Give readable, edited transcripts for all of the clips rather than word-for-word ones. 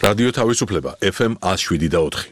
რადიო თავისუფლება FM 107.4.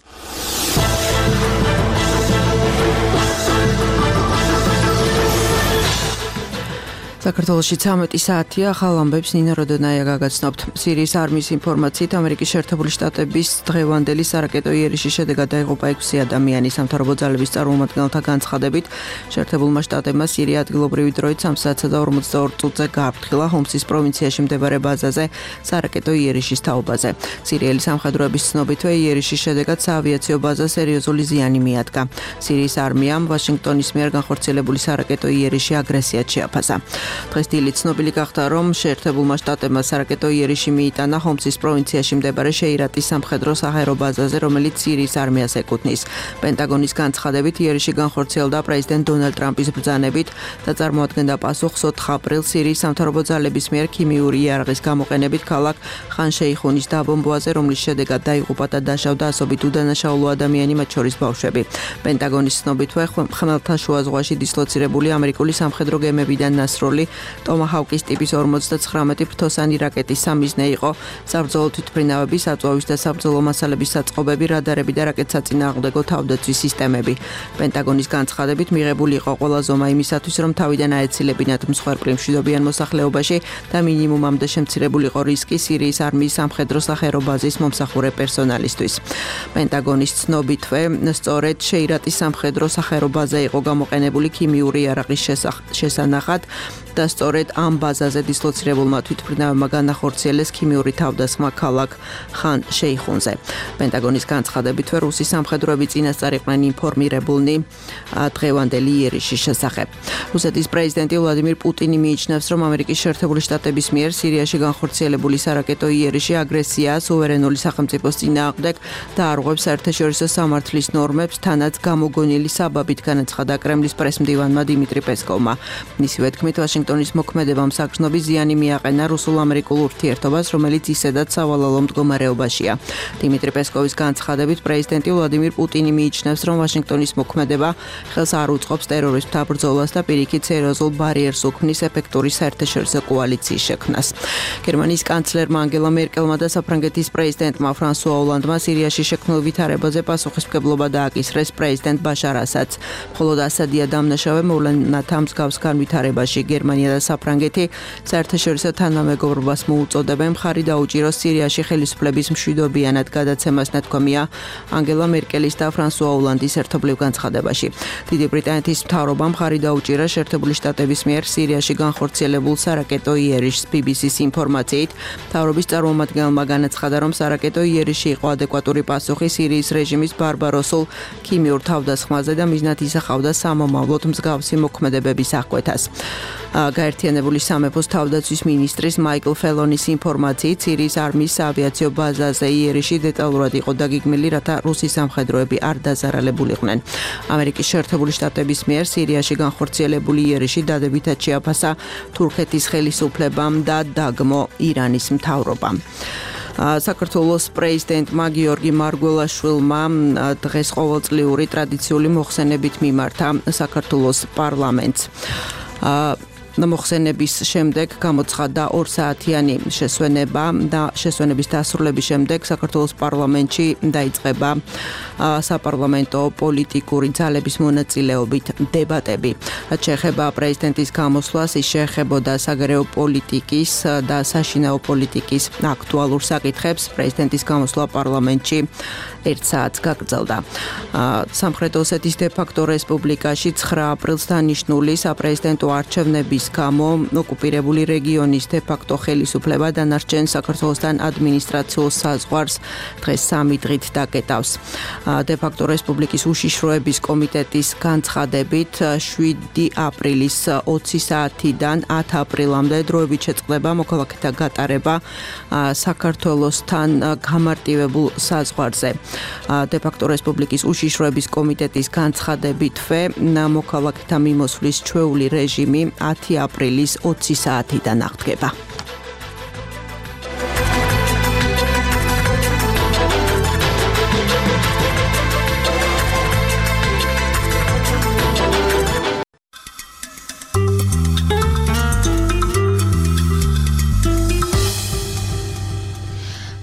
საქართველოში 13 საათია, ახალ ამბებს ნინო როდონაია გაგაცნობთ. სირიის არმიის ინფორმაციით, ამერიკის შეერთებული შტატების დღევანდელი სარაკეტო იერიშის შედეგად დაიღუპა 6 ადამიანი. სამთავრობო ძალების წარმომადგენელთა განცხადებით, შეერთებულმა შტატებმა სირია ადგილობრივი დროით 3:42 წუთზე გააფრთხილა ჰომსის პროვინციაში მდებარე ბაზაზე სარაკეტო იერიშის თაობაზე. სირიელი სამხედროების ცნობითვე იერიშის შედეგად საავიაციო ბაზას სერიოზული ზიანი მიადგა. სირიის არმიამ ვაშინგტონის მიერ განხორციელებული სარაკეტო იერიში აგრესიად შეაფასა. დღეს დილით ცნობილი გახდა, რომ შეერთებულმა შტატებმა სარაკეტო იერიში მიიტანა ჰომსის პროვინციაში მდებარე შეირატის სამხედრო საჰაერო ბაზაზე, რომელიც სირიის არმიას ეკუთვნის. პენტაგონის განცხადებით, იერიში განხორციელდა პრეზიდენტ დონალდ ტრამპის ბრძანებით და წარმოადგენდა პასუხს 4 აპრილს სირიის სამთავრობო ძალების მიერ ქიმიური იარაღის გამოყენებით ქალაქ ხან-შეიხუნის დაბომბვაზე, რომლის შედეგად დაიღუპა და დაშავდა ასობით უდანაშაულო ადამიანი, მათ შორის ბავშვები. პენტაგონის ცნობითვე, ხმელთაშუა ზღვაში დისლოცირებული ამერიკული სამხედრო გემებიდან ნასროლი ტომაჰავკის ტიპის 59 ფრთოსანი რაკეტის სამიზნე იყო საბრძოლო თვითმფრინავების, აწვავის და საბრძოლო მასალების საწყობები, რადარები და რაკეტსაწინააღმდეგო თავდაცვის სისტემები. პენტაგონის განცხადებით მიღებული იყო ყველა ზომა იმისათვის, რომ თავიდან აეცილებინათ მსხვერპლი მშვიდობიან მოსახლეობაში და მინიმუმამდე შემცირებული იყო რისკი სირიის არმიის სამხედრო საჰაერო ბაზის მომსახურე პერსონალისთვის. პენტაგონის ცნობითვე, სწორედ შეირატის სამხედრო საჰაერო ბაზა იყო გამოყენებული ქიმიური იარაღის შესანახად და სწორედ ამ ბაზაზე დისლოცირებულმა თვითმფრინავებმა განახორციელეს ქიმიური თავდასხმა ქალაქ ხან-შეიხუნზე. პენტაგონის განცხადებით, რუსი სამხედროები წინასწარ იყვნენ ინფორმირებულნი დღევანდელი იერიშის შესახებ. რუსეთის პრეზიდენტი ვლადიმირ პუტინი მიიჩნევს, რომ ამერიკის შეერთებული შტატების მიერ სირიაში განხორციელებული სარაკეტო იერიში აგრესიაა სუვერენული სახელმწიფოს წინააღმდეგ და არღვევს საერთაშორისო სამართლის ნორმებს, თანაც გამოგონილი საბაბით, განაცხადა კრემლის პრესმდივანმა დიმიტრი პესკოვმა. მისივე თქმით, ვაშინგტონის მოქმედებამ საგრძნობი ზიანი მიაყენა რუსულ-ამერიკულ ურთიერთობას, რომელიც ისედაც სავალალო მდგომარეობაშია. დიმიტრი პესკოვის განცხადებით, პრეზიდენტი ვლადიმირ პუტინი მიიჩნევს, რომ ვაშინგტონის მოქმედება ხელს არ უწყობს ტერორისტთა ბრძოლას და პირიქით სერიოზულ ბარიერს უქმნის ეფექტური საერთაშორისო კოალიციის შექმნას. გერმანიის კანცლერმა ანგელა მერკელმა და საფრანგეთის პრეზიდენტმა ფრანსუა ოლანდმა სირიაში შექმნილ ვითარებაზე პასუხისმგებლობა დააკისრეს პრეზიდენტ ბაშარ ასადს. მხოლოდ ასადია დამნაშავე მოვლენათა მსგავს განვითარებაში. გერმანია და საფრანგეთი საერთაშორისო თანამეგობრობას მოუწოდებენ მხარი დაუჭიროს სირიაში ხელისუფლების მშვიდობიანად გადაცემას, ნათქვამია ანგელა მერკელის და ფრანსუა ოლანდის ერთობლივ განცხადებაში. დიდი ბრიტანეთის მთავრობამ მხარი დაუჭირა შეერთებული შტატების მიერ სირიაში განხორციელებულ სარაკეტო იერიშს. BBC-ს ინფორმაციით, მთავრობის წარმომადგენელმა განაცხადა, რომ სარაკეტო იერიში იყო ადეკვატური პასუხი სირიის რეჟიმის ბარბაროსულ ქიმიურ თავდასხმაზე და მიზნად ისახავდა სამომავლოდ მსგავსი მოქმედებების აღკვეთას. გაერთიანებული სამეფოს თავდაცვის მინისტრის მაიკლ ფელონის ინფორმაციით, სირიის არმიის საავიაციო ბაზაზე იერიში დეტალურად იყო დაგეგმილი, რათა რუსი სამხედროები არ დაზარალებულიყვნენ. ამერიკის შეერთებული შტატების მიერ სირიაში განხორციელებული იერიში დადებითად შეაფასა თურქეთის ხელისუფლებამ და დაგმო ირანის მთავრობამ. საქართველოს პრეზიდენტმა გიორგი მარგველაშვილმა დღეს ყოველწლიური ტრადიციული მოხსენებით მიმართა საქართველოს პარლამენტს. მოხსენების შემდეგ გამოცხადდა 2 საათიანი შესვენება და შესვენების დასრულების შემდეგ საქართველოს პარლამენტში დაიწყება საპარლამენტო პოლიტიკური ძალების მონაწილეობით დებატები. რაც შეეხება პრეზიდენტის გამოსვლას, ის შეეხებოდა საგარეო პოლიტიკის და საშინაო პოლიტიკის აქტუალურ საკითხებს. პრეზიდენტის გამოსვლა პარლამენტში 1 საათს გაგრძელდა. სამხრეთ ოსეთის დე-ფაქტო რესპუბლიკაში 9 აპრილს დანიშნული საპრეზიდენტო არჩევნების გამო ოკუპირებული რეგიონის დე-ფაქტო ხელისუფლება დანარჩენ საქართველოსთან ადმინისტრაციულ საზღვარს დღეს 3 დღით დაკეტავს. დე-ფაქტო რესპუბლიკის უშიშროების კომიტეტის განცხადებით 7 აპრილის 20 საათიდან 10 აპრილამდე დროებით შეწყდება მოქალაქეთა გატარება საქართველოსთან გამარტივებულ საზღვარზე. დე-ფაქტო რესპუბლიკის უშიშროების კომიტეტის განცხადებითვე მოქალაქეთა მიმოსვლის ჩვეული რეჟიმი 10 აპრილის 20 საათიდან აღდგება.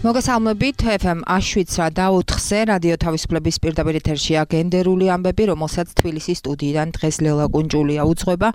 მოგესალმებით FM აშვიცრა და 4-ზე რადიო თავისუფლების პირდაპირ ეთერშია გენდერული ამბები, რომელსაც თბილისის სტუდიიდან დღეს ლელა კუნჭულია უძღვება.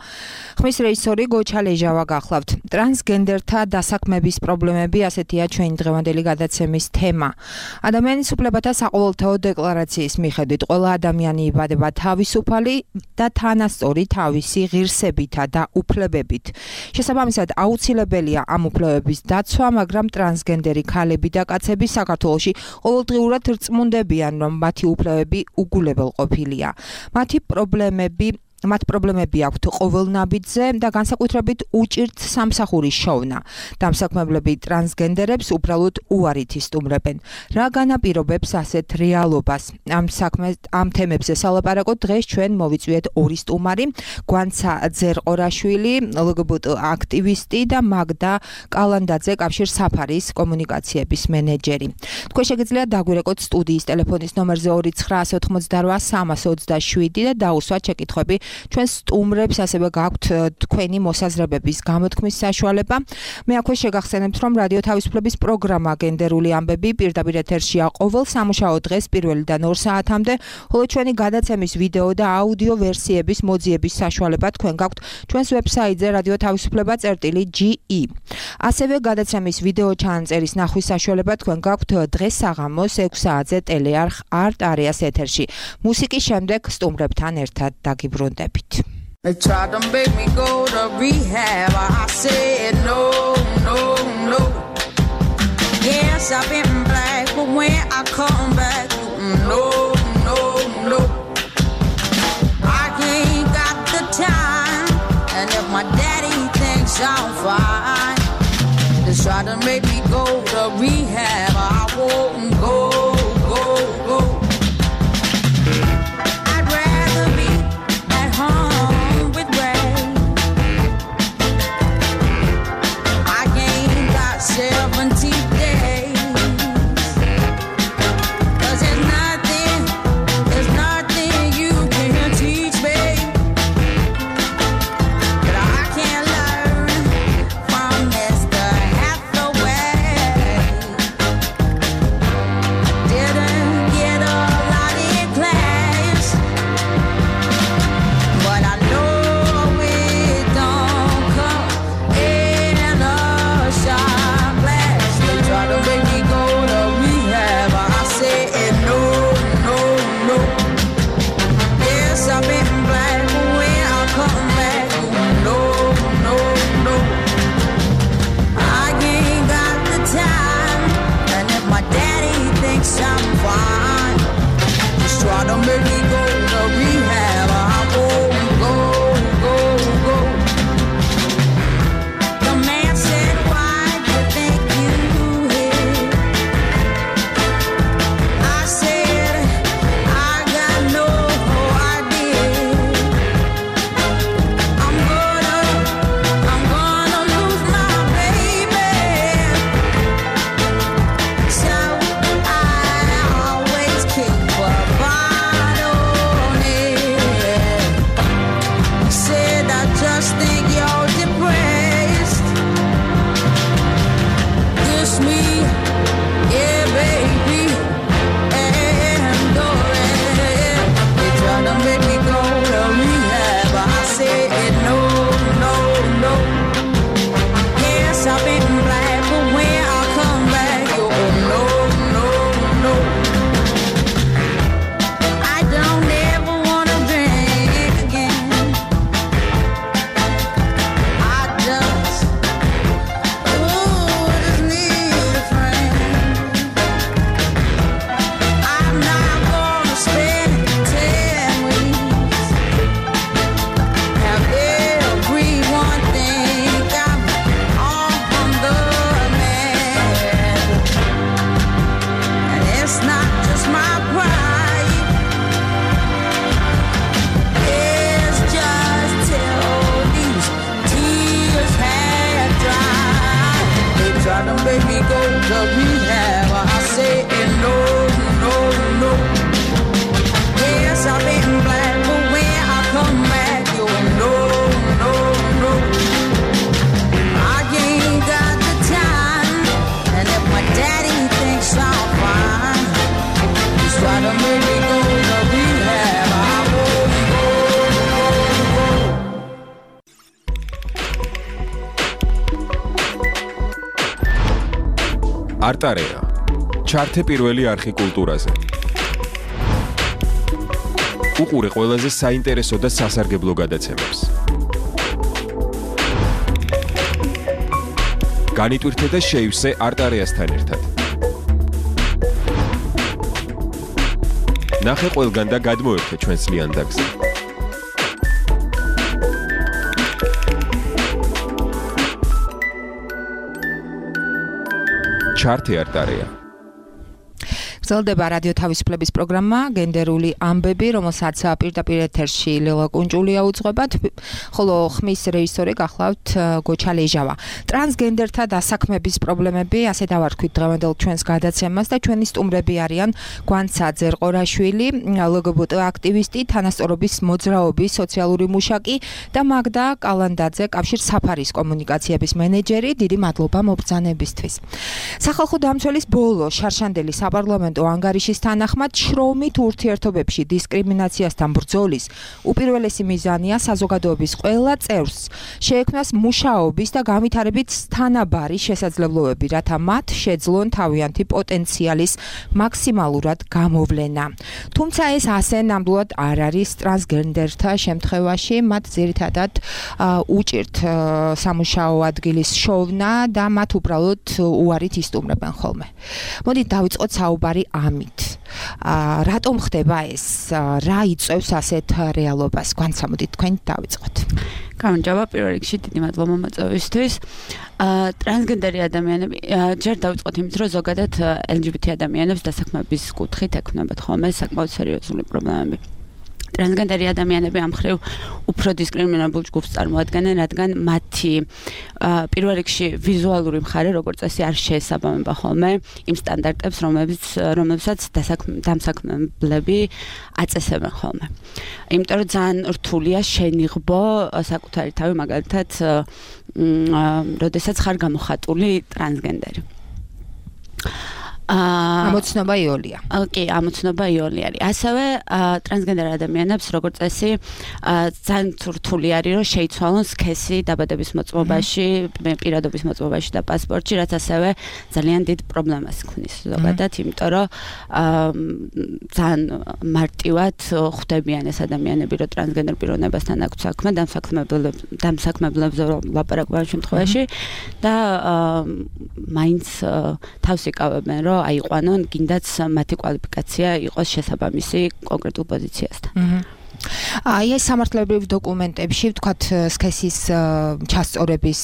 ხმის რეჟისორი გოჩა ლეჟავა გახლავთ. ტრანსგენდერთა დასაქმების პრობლემები, ასეთია ჩვენი დღევანდელი გადაცემის თემა. ადამიანის უფლებათა საყოველთაო დეკლარაციის მიხედვით ყველა ადამიანი იბადება თავისუფალი და თანასწორი თავისი ღირსებითა და უფლებებით. შესაბამისად, აუცილებელია ამ უფლებების დაცვა, მაგრამ ტრანსგენდერი ქალები და კაცები საქართველოში ყოველდღიურად რწმუნდებიან, რომ მათი უფლებები უგულებელყოფილია. მათ პრობლემები აქვთ ყოველნაბიჯზე და განსაკუთრებით უჭირთ სამსახურის შოვნა. დამსაქმებლები ტრანსგენდერებს უბრალოდ უარით ისტუმრებენ. რა განაპირობებს ასეთ რეალობას? ამ თემებზე სალაპარაკოთ დღეს ჩვენ მოვიწვიეთ ორი სტუმარი, გვანცა ძერყორაშვილი, LGBT აქტივისტი და მაგდა კალანდაძე, კავშირ საფარის კომუნიკაციების მენეჯერი. თქვენ შეგიძლიათ დაგვირეკოთ სტუდიის ტელეფონის ნომერზე 298-327 და დაუსვათ შეკითხვები ჩვენ სტუმრებს, ასევე გაქვთ თქვენი მოსაზრებების გამოთქმის საშუალება. მე აქვე შეგახსენებთ, რომ რადიო თავისუფლების პროგრამა გენდერული ამბები პირდაპირ ეთერშია ყოველ სამუშაო დღეს 1-დან 2 საათამდე, ხოლო ჩვენი გადაცემის ვიდეო და აუდიო ვერსიების მოძიების საშუალება თქვენ გაქვთ ჩვენს ვებსაიტზე radiotavisupleba.ge. ასევე გადაცემის ვიდეო ჩანაწერის ნახვის საშუალება თქვენ გაქვთ დღეს საღამოს 6 საათზე ტელეარხ არტ არეას ეთერში. მუსიკის შემდეგ სტუმრებთან ერთად დაგიბრუნდებით. They tried to make me go to rehab. I said no, no, no. Yes, I've been black, but when I come back, no, no, no. I ain't got the time, and if my daddy thinks I'm fine, they try to make me go to rehab. I won't go, go, go. I'd rather be at home with Ray. I ain't got 70 days. 'Cause there's nothing you can teach me that I can't learn from Mr. Hathaway. Didn't get a lot in class, but I know it don't come in a shot glass. They try to make me go to rehab. I said no, no, no. Yes, I've been black, but when I come back, no, no, no. I ain't got the time, and if my daddy thinks I'm fine, just try to make me go to rehab. I won't go, go, go. The man said, why do you think you hit? I said, I got no idea. I'm gonna lose my baby. So I always keep a bottle on it. He said, I just think you're depressed. Kiss me, yeah, baby, and go ahead. They try to make me go to rehab. I said no, no, no. Yes, I've been black, but when I come back, oh no, no, no. I don't ever wanna drink again. I just need a friend. I'm not gonna spend 10 weeks. Have everyone think I'm all from the man. And it's not just my pride. It's just till these tears had dried. They try to make me go to rehab. I say no, no, no. Yes, I've been black, but when I come back, you no, no, no. I ain't got the time, and if my daddy thinks არტარეა. ჩართე პირველი არხი კულტურაზე. უყურე ყველაზე საინტერესო და სასარგებლო გადაცემებს. განიტვირთე და შეივსე არტარეასთან ერთად. ნახე ყველგან და გადმოერთე ჩვენს ლიანდაგზე. ჩართე არტარეა. გრძელდება რადიო თავისუფლების პროგრამა გენდერული ამბები, რომელსაც პირდაპირ ეთერში ლელა კუნჭულია უძღვება, ხოლო ხმის რეჟისორი გახლავთ გოჩა ლეჟავა. ტრანსგენდერთა დასაქმების პრობლემები, ასე დავარქვით დღევანდელ ჩვენს გადაცემას და ჩვენი სტუმრები არიან გვანცა ძერყორაშვილი, ლგბტ აქტივისტი, თანასწორობის მოძრაობის სოციალური მუშაკი და მაგდა კალანდაძე, კავშირ საფარის კომუნიკაციების მენეჯერი. დიდი მადლობა მობრძანებისთვის. სახალხო დამცველის ბოლო შარშანდელი საპარლამენტო ანგარიშის თანახმად შრომით ურთიერთობებში დისკრიმინაციასთან ბრძოლის უპირველესი მიზანია საზოგადოების ყველა წევრს შეექმნას მუშაობის და განვითარებით თანაბარი შესაძლებლობები, რათა მათ შეძლონ თავიანთი პოტენციალის მაქსიმალურად გამოვლენა. თუმცა ეს ასე ნამდვილად არ არის ტრანსგენდერთა შემთხვევაში, მათ ძირითადად უჭირთ სამუშაო ადგილის შოვნა და მათ უბრალოდ უარით ისტუმრებენ ხოლმე. მოდით დავიწყოთ საუბარი ამით. რატომ ხდება ეს? რა იწვევს ასეთ რეალობას? განსამოდით თქვენ დავიწყოთ. გამარჯობა, პირველ რიგში დიდი მადლობა მოწვევისთვის. ტრანსგენდერი ადამიანები, ჯერ დავიწყოთ იმით, რომ ზოგადად LGBT ადამიანებს დასაქმების კუთხით ექმნებათ ხოლმე საკმაოდ სერიოზული პრობლემები. ტრანსგენდერი ადამიანები ამ მხრივ უფრო დისკრიმინებულ ჯგუფს წარმოადგენენ, რადგან მათი პირველ რიგში ვიზუალური მხარე, როგორც წესი, არ შეესაბამება ხოლმე იმ სტანდარტებს, რომლებსაც დამსაქმებლები აწესებენ ხოლმე. იმიტომ რომ ძალიან რთულია შენიღბო საკუთარი თავი, მაგალითად, როდესაც ხარ გამოხატული ტრანსგენდერი. ამოცნობა იოლია. კი, ამოცნობა იოლი არის. ასევე ტრანსგენდერ ადამიანებს როგორც წესი ძალიან რთული არის რომ შეიცვალონ სქესი დაბადების მოწმობაში, პირადობის მოწმობაში და პასპორტში, რაც ასევე ძალიან დიდ პრობლემას ქმნის ზოგადად, იმიტომ რომ ძალიან მარტივად ხვდებიან ეს ადამიანები, რომ ტრანსგენდერ პიროვნებასთან აქვს საქმე, დამსაქმებლებზე ლაპარაკობენ ამ შემთხვევაში და მაინც თავს იკავებენ, რომ აიყვანონ, გინდაც მათი კვალიფიკაცია იყოს შესაბამისი კონკრეტულ პოზიციასთან. აი ეს სამართლებრივ დოკუმენტებში ვთქვათ სქესის ჩასწორების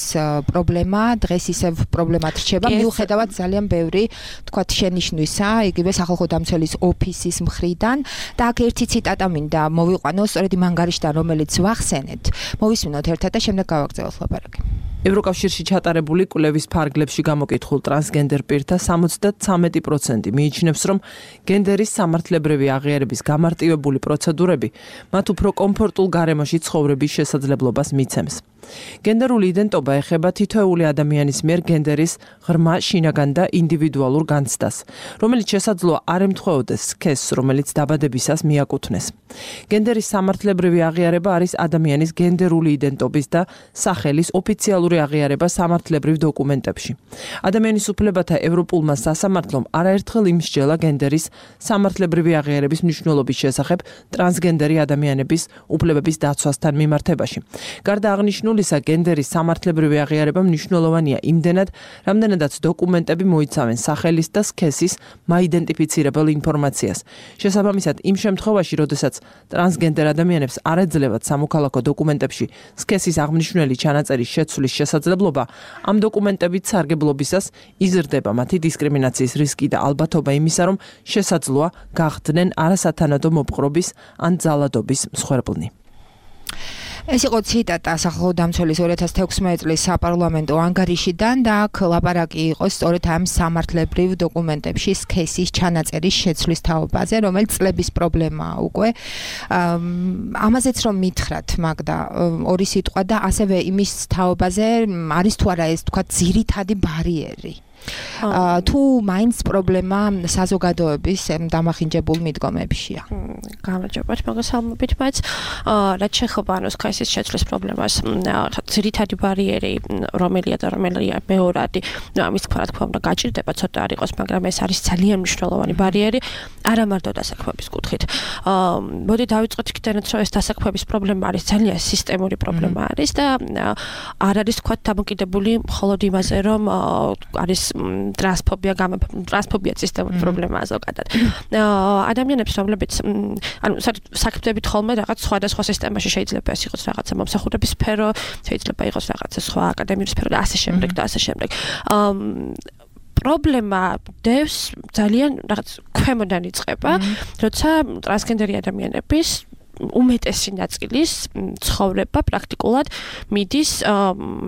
პრობლემა დღეს ისევ პრობლემად რჩება, მიუხედავად ძალიან ბევრი ვთქვათ შენიშვნისა, იგივე სახალხო დამცველის ოფისის მხრიდან და აქ ერთი ციტატა მინდა მოვიყვანო, სწორედ იმ ანგარიშიდან, რომელიც ვახსენეთ. მოვისმინოთ ერთად და შემდეგ გავაგრძელოთ ლაპარაკი. ევროკავშირში ჩატარებული კვლევის ფარგლებში გამოკითხულ ტრანსგენდერ პირთა 73% მიიჩნევს, რომ გენდერის სამართლებრივი აღიარების გამარტივებული პროცედურები მათ უფრო კომფორტულ გარემოში ცხოვრების შესაძლებლობას მიცემს. გენდერული იდენტობა ეხება თითოეული ადამიანის მიერ გენდერის ღრმა, შინაგან და ინდივიდუალურ განცდას, რომელიც შესაძლოა არ ემთხვეოდეს სქესს, რომელიც დაბადებისას მიაკუთვნეს. გენდერის სამართლებრივი აღიარება არის ადამიანის გენდერული იდენტობის და სახელის ოფიციალური აღიარება სამართლებრივ დოკუმენტებში. ადამიანის უფლებათა ევროპულმა სასამართლომ არაერთხელ იმსჯელა გენდერის სამართლებრივი აღიარების მნიშვნელობის შესახებ ტრანსგენდერი ადამიანების უფლებების დაცვასთან მიმართებაში. გარდა აღნიშნულისა, გენდერის სამართლებრივი აღიარება მნიშვნელოვანია იმდენად, რამდენადაც დოკუმენტები მოიცავენ სახელის და სქესის მაიდენტიფიცირებელ ინფორმაციას. შესაბამისად, იმ შემთხვევაში, როდესაც ტრანსგენდერ ადამიანებს არ ეძლებათ სამოქალაქო დოკუმენტებში სქესის აღმნიშვნელი ჩანაწერის შეცვლის შესაძლებლობა, ამ დოკუმენტებით სარგებლობისას იზრდება მათი დისკრიმინაციის რისკი და ალბათობა იმისა, რომ შესაძლოა გახდნენ არასათანადო მოპყრობის ან ძალადობის მსხვერპლნი. ეს იყო ციტატა სახალხო დამცველის 2016 წლის საპარლამენტო ანგარიშიდან და აქ ლაპარაკი იყო სწორედ ამ სამართლებრივ დოკუმენტებში სქესის ჩანაწერის შეცვლის თაობაზე, რომელიც წლების პრობლემაა უკვე. ამაზეც რომ მითხრათ, მაგდა, ორი სიტყვა და ასევე იმის თაობაზე არის თუ არა ეს თქვა ძირითადი ბარიერი. თუ მაინც პრობლემა საზოგადოების დამახინჯებულ მიდგომებშია. გამარჯობათ, მოგესალმებით, բայց რაც შეეხება სქესის შეცვლის პრობლემას, ძირითადი ბარიერი რომელია და რომელია მეორადი, ამის თქვა რა თქმა უნდა გაჭირდება ცოტა არ იყოს, მაგრამ ეს არის ძალიან მნიშვნელოვანი ბარიერი, არა მარტო დასაქმების კუთხით. მოდი დავიწყოთ იქიდანაც, რომ ეს დასაქმების პრობლემა არის ძალიან სისტემური პრობლემა არის და არ არის თქვა დამოკიდებული მხოლოდ იმაზე, რომ არის ტრანსფობია სისტემური პრობლემაა ზოგადად. ადამიანებს, რომლებიც საქმეებით ხოლმე რაღაც სხვადასხვა სისტემაში შეიძლება ეს იყოს რაღაცა მომსახურების სფერო, შეიძლება იყოს რაღაცა სხვა აკადემიური სფერო და ასე შემდეგ და ასე შემდეგ. პრობლემა დევს ძალიან რაღაც ქვემოდან იწყება, როცა ტრანსგენდერი ადამიანების უმეტესი ნაწილის ცხოვრება პრაქტიკულად მიდის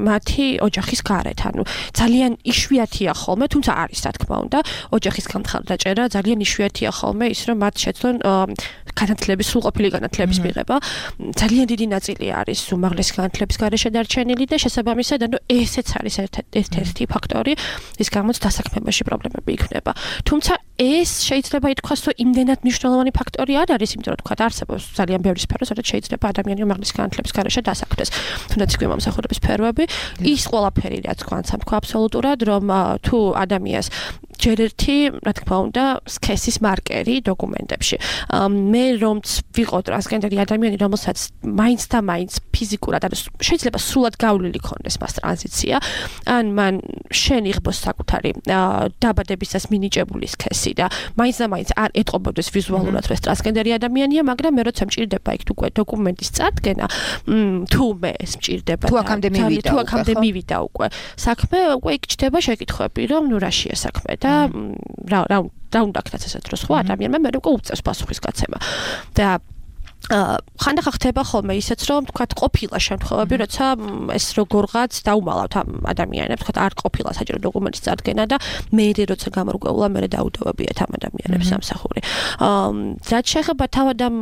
მათი ოჯახის გარეთ. ანუ ძალიან იშვიათია ხოლმე, თუმცა არის რა თქმა უნდა, ოჯახის გამხარდაჭერა, ძალიან იშვიათია ხოლმე ის, რომ მათ შეძლონ განათლების, სრულყოფილი განათლების მიღება. ძალიან დიდი ნაწილი არის უმაღლესი განათლების გარეშე დარჩენილი და შესაბამისად, ანუ ესეც არის ერთ-ერთი ფაქტორი, ის გამოც დასაქმებაში პრობლემები იქნება. თუმცა ეს შეიძლება ითქვას, რომ იმდენად მნიშვნელოვანი ფაქტორი არ არის, იმიტომ რომ თქვა არსებობს ძალიან ბევრი სფერო, სადაც შეიძლება ადამიანი უმაღლესი განათლების გარეშე დასაქმდეს. თუნდაც იქვე მომსახურების სფეროები, ის ყველაფერი რაც თქვა აბსოლუტურად, რომ თუ ადამიანს ჯერ ერთი, რა თქმა უნდა, სქესის მარკერი დოკუმენტებში. მე რომც ვიყო ტრანსგენდერი ადამიანი, რომელსაც მაინც და მაინც ფიზიკურად, ანუ შეიძლება სრულად გავლილი ქონდეს მას ტრანზიცია, ან მან შენ იღბოს საკუთარი დაბადებისას მინიჭებული სქესი და მაინც და მაინც არ ეტყობოდეს ვიზუალურად, რომ ეს ტრანსგენდერი ადამიანია, მაგრამ მე როცა მჭირდება იქ უკვე დოკუმენტის წარდგენა, თუ მე ეს მჭირდება თუ აქამდე მივიდა უკვე საქმე, უკვე იქ ჩდება შეკითხვები, რომ ნუ რაშია საქმე და რა უნდა ქნაც ესეთ დროს ხო ადამიანმა მე უკვე უწევს პასუხის გაცემა და ხანდახან ხდება ხოლმე ისეც რომ თქვათ ყოფილა შემთხვევები, როცა ეს როგორღაც დაუმალავთ ამ ადამიანებს, თქვათ არ ყოფილა საჭირო დოკუმენტის წარდგენა და მე როცა გამორგვეულა მე დაუდევებიათ ამ ადამიანებს სამსახური. რაც შეეხება თავად ამ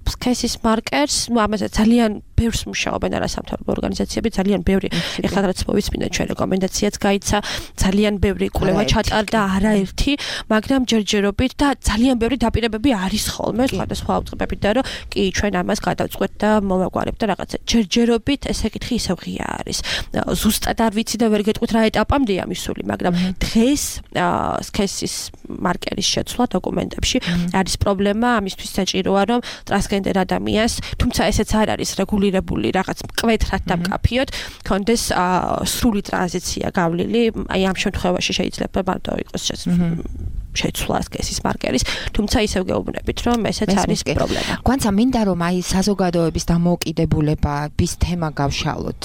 სქესის მარკერს, ნუ ამაზე ძალიან ბევრს მუშაობენ არასამთავრობო ორგანიზაციები, ძალიან ბევრი ეხლა რაც მოვისმინეთ ჩვენ რეკომენდაციაც გაიცა, ძალიან ბევრი კვლევა ჩატარდა არაერთი, მაგრამ ჯერჯერობით და ძალიან ბევრი დაპირებები არის ხოლმე სხვადასხვა აუწყებებით და რომ კი ჩვენ ამას გადავწყვეტ და მოვაგვარებ და რაღაცა ჯერჯერობით ესე კითხი ისევ ღია არის. ზუსტად არ ვიცი და ვერ გეტყვით რა ეტაპამდეა მისული, მაგრამ დღეს სქესის მარკერის შეცვლა დოკუმენტებში არის პრობლემა, ამისთვის საჭიროა რომ ტრანსგენდერ ადამიანს, თუმცა ესეც არ არის რეგულირებული რაღაც მკვეთრად დამკაფიოთ, კონდეს სრული ტრანზიცია გავლილი, აი ამ შემთხვევაში შეიძლება მარტო იყოს შეცვლა სქესის მარკერის, თუმცა ისევ გეუბნებით, რომ ესეც არის პრობლემა. გვანცა მინდა რომ აი საზოგადოების დამოუკიდებულების თემა გავშალოთ.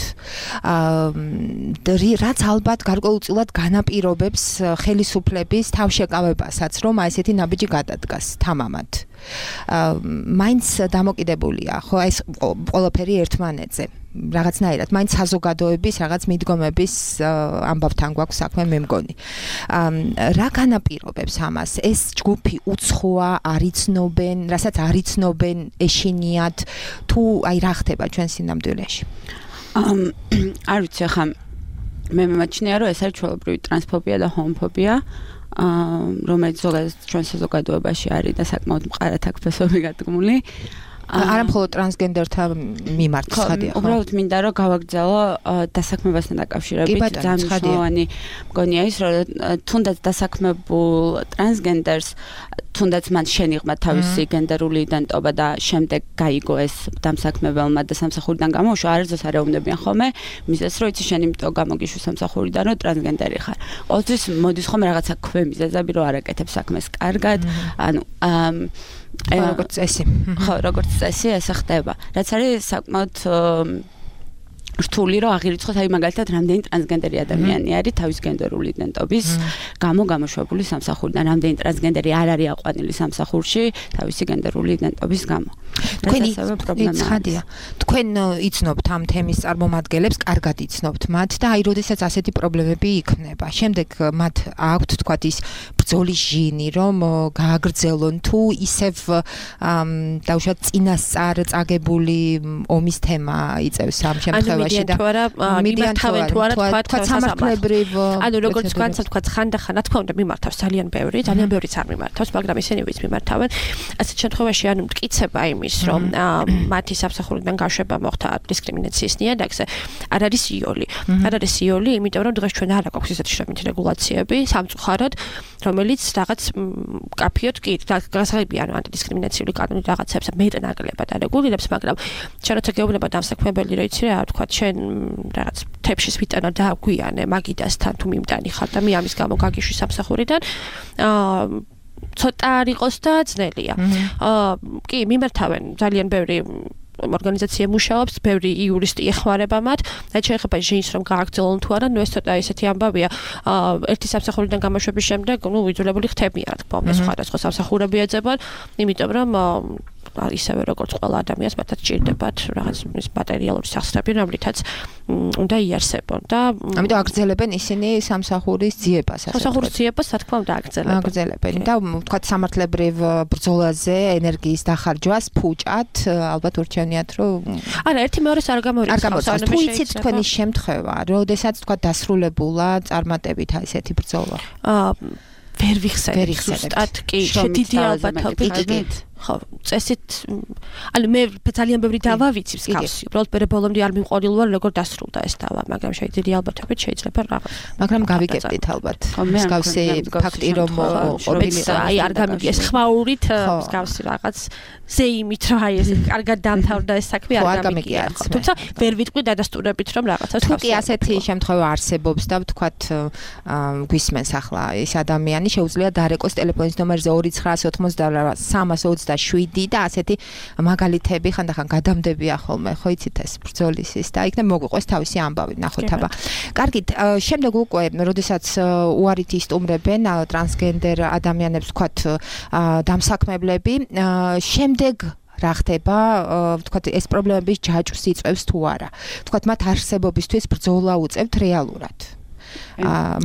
რაც ალბათ გარკვეულწილად განაპირობებს ხელისუფლების თავშეკავებასაც, რომ აი ესეთი ნაბიჯი გადადგას თამამად. მაინც დამოკიდებულია, ხო, ეს ყველაფერი ერთმანეთზე. რაღაცნაირად, მაინც საზოგადოების რაღაც მიდგომების ამბავთან გვაქვს საქმე, მე მგონი. რა განაპირობებს ამას? ეს ჯგუფი უცხოა, არიცნობენ, რასაც არიცნობენ, ეშინიათ, თუ აი რა ხდება ჩვენ სინამდვილეში? არ ვიცი, ახლა მე მიმაჩნია, რომ ეს არის ჩვეულებრივი ტრანსფობია და ჰომოფობია. რომელიც ზოგადად ჩვენ საზოგადოებაში არის და საკმაოდ მყარად აქვს ფესვები გადგმული. არა მხოლოდ ტრანსგენდერთა მიმართ ხადია. უბრალოდ მინდა რომ გავაგრძელო დასაქმებასთან დაკავშირებით ძალიან მნიშვნელოვანი მგონია ის, რომ თუნდაც დასაქმებულ ტრანსგენდერს, თუნდაც მან შენიღმა თავისი გენდერული იდენტობა და შემდეგ გაიგო ეს დამსაქმებელმა და სამსახურიდან გამოუშვა, არასდროს არ ეუბნებიან ხოლმე მიზეზს, რომ იცი შენ იმიტომ გამოგიშვი სამსახურიდან, რომ ტრანსგენდერი ხარ. ყოველთვის მოდის ხოლმე რაღაცა ქვემიზეზები, რომ არ აკეთებ საქმეს კარგად, ანუ როგორც წესი. ხო, როგორც წესი ესე ხდება. რაც არის საკმაოდ რთული რომ აღირიცხოთ, აი მაგალითად რამდენი ტრანსგენდერი ადამიანი არის თავის გენდერული იდენტობის გამო გამოშვებული სამსახურიდან, რამდენი ტრანსგენდერი არ არის აყვანილი სამსახურში თავისი გენდერული იდენტობის გამო. თქვენ იცნობთ ამ თემის წარმომადგენლებს, კარგად იცნობთ მათ და აი როდესაც ასეთი პრობლემები იქნება, შემდეგ მათ აქვთ თქვათ ის ბრძოლის ჟინი, რომ გააგრძელონ თუ ისევ დაუშვათ წინასწარ წაგებული ომის თემა იწევს ამ შემთხვევაში. შემთხვევაში და მიდიან თუ არა თქვა სამართლებრივ ანუ როგორც განსა თქვა ხანდახან რა თქმა უნდა მიმართავს ძალიან ბევრიც არ მიმართავს მაგრამ ისინი ვიც მიმართავენ ასეთ შემთხვევაში ანუ მტკიცება იმის რომ მათი სამსახურიდან გაშვება მოხდა დისკრიმინაციის ნიადაგზე არ არის იოლი იმიტომ რომ დღეს ჩვენ არ აქვს ისეთი შრომითი რეგულაციები სამწუხაროდ რომელიც რაღაც კაფიოდ კი გასაღებია ანუ ანტიდისკრიმინაციული კანონი რაღაცებს მეტნაკლებად არეგულირებს მაგრამ ჩვენ როცა გეუბნება დამსაქმებელი რა იცი რა თქვა ჩვენ რაღაც თეფშის ვიტანა დააგვიანე მაგიდასთან თუ მიმტანი ხარ და მე ამის გამო გაგიშვი სამსახურიდან ცოტა არ იყოს და ძნელია კი მიმართავენ ძალიან ბევრი ორგანიზაცია მუშაობს, ბევრი იურისტი ეხმარება მათ. და შეიძლება ჟინს რომ გააგრძელონ თუ არა, ნუ ეს ცოტა ისეთი ამბავია. ერთი სამსახურიდან გამოშვების შემდეგ, ნუ ვიძულებული ხდებიან, რა თქმა უნდა, სხვადასხვა სამსახურები ეძებათ, იმიტომ რომ ისევე როგორც ყველა ადამიანს მათაც ჭირდებათ რაღაც ის მატერიალური სახსრები, რომლითაც უნდა იარსებონ და ამიტომ აგრძელებენ ისინი სამსახურის ძიებას, ასე სამსახურის ძიებას, რა თქმა უნდა, აგრძელებენ და თქვა სამართლებრივ ბრძოლაზე ენერგიის დახარჯვას ფუჭად, ალბათ ურჩევნიათ, რომ არა, ერთი მეორეს არ გამორიცხავს. თუ იცით თქვენი შემთხვევა, როდესაც თქვა დასრულებულა წარმატებით ესეთი ბრძოლა? ვერ ვიხსენებ. კი, დიდი ალბათობით. ხო, წესით ანუ მე ძალიან ბევრი დავა ვიცი მსგავსი. უბრალოდ მე ბოლომდე არ მიმყოლილ ვარ როგორ დასრულდა ეს დავა, მაგრამ დიდი albათობით შეიძლება რაღაც. მაგრამ გავიგებდით ალბათ. მსგავსი ფაქტი რომ ყოფილიყო. აი არ გამიგეს ხმაურით მსგავსი რაღაც ზეიმით რა აი ეს კარგად დამთავრდა ეს საქმე არ გამიგია. თუმცა ვერ ვიტყვი დადასტურებით რომ რაღაცას თუ კი ასეთი შემთხვევა არსებობს და ვთქვათ გვისმენს ახლა ეს ადამიანი შეუძლია დარეკოს ტელეფონის ნომერზე 298 და ასეთი მაგალითები ხანდახან გადამდებია ხოლმე, ხო იცით ეს ბრძოლის ის და იქნებ მოგვიყვეს თავისი ამბავი, ნახოთ აბა. კარგით, შემდეგ უკვე, როდესაც უარით ისტუმრებენ ტრანსგენდერ ადამიანებს, ვთქვათ, დამსაქმებლები, შემდეგ რა ხდება, ვთქვათ, ეს პრობლემების ჯაჭვს იწევს თუ არა. ვთქვათ, მათ არსებობისთვის ბრძოლა უწევთ რეალურად.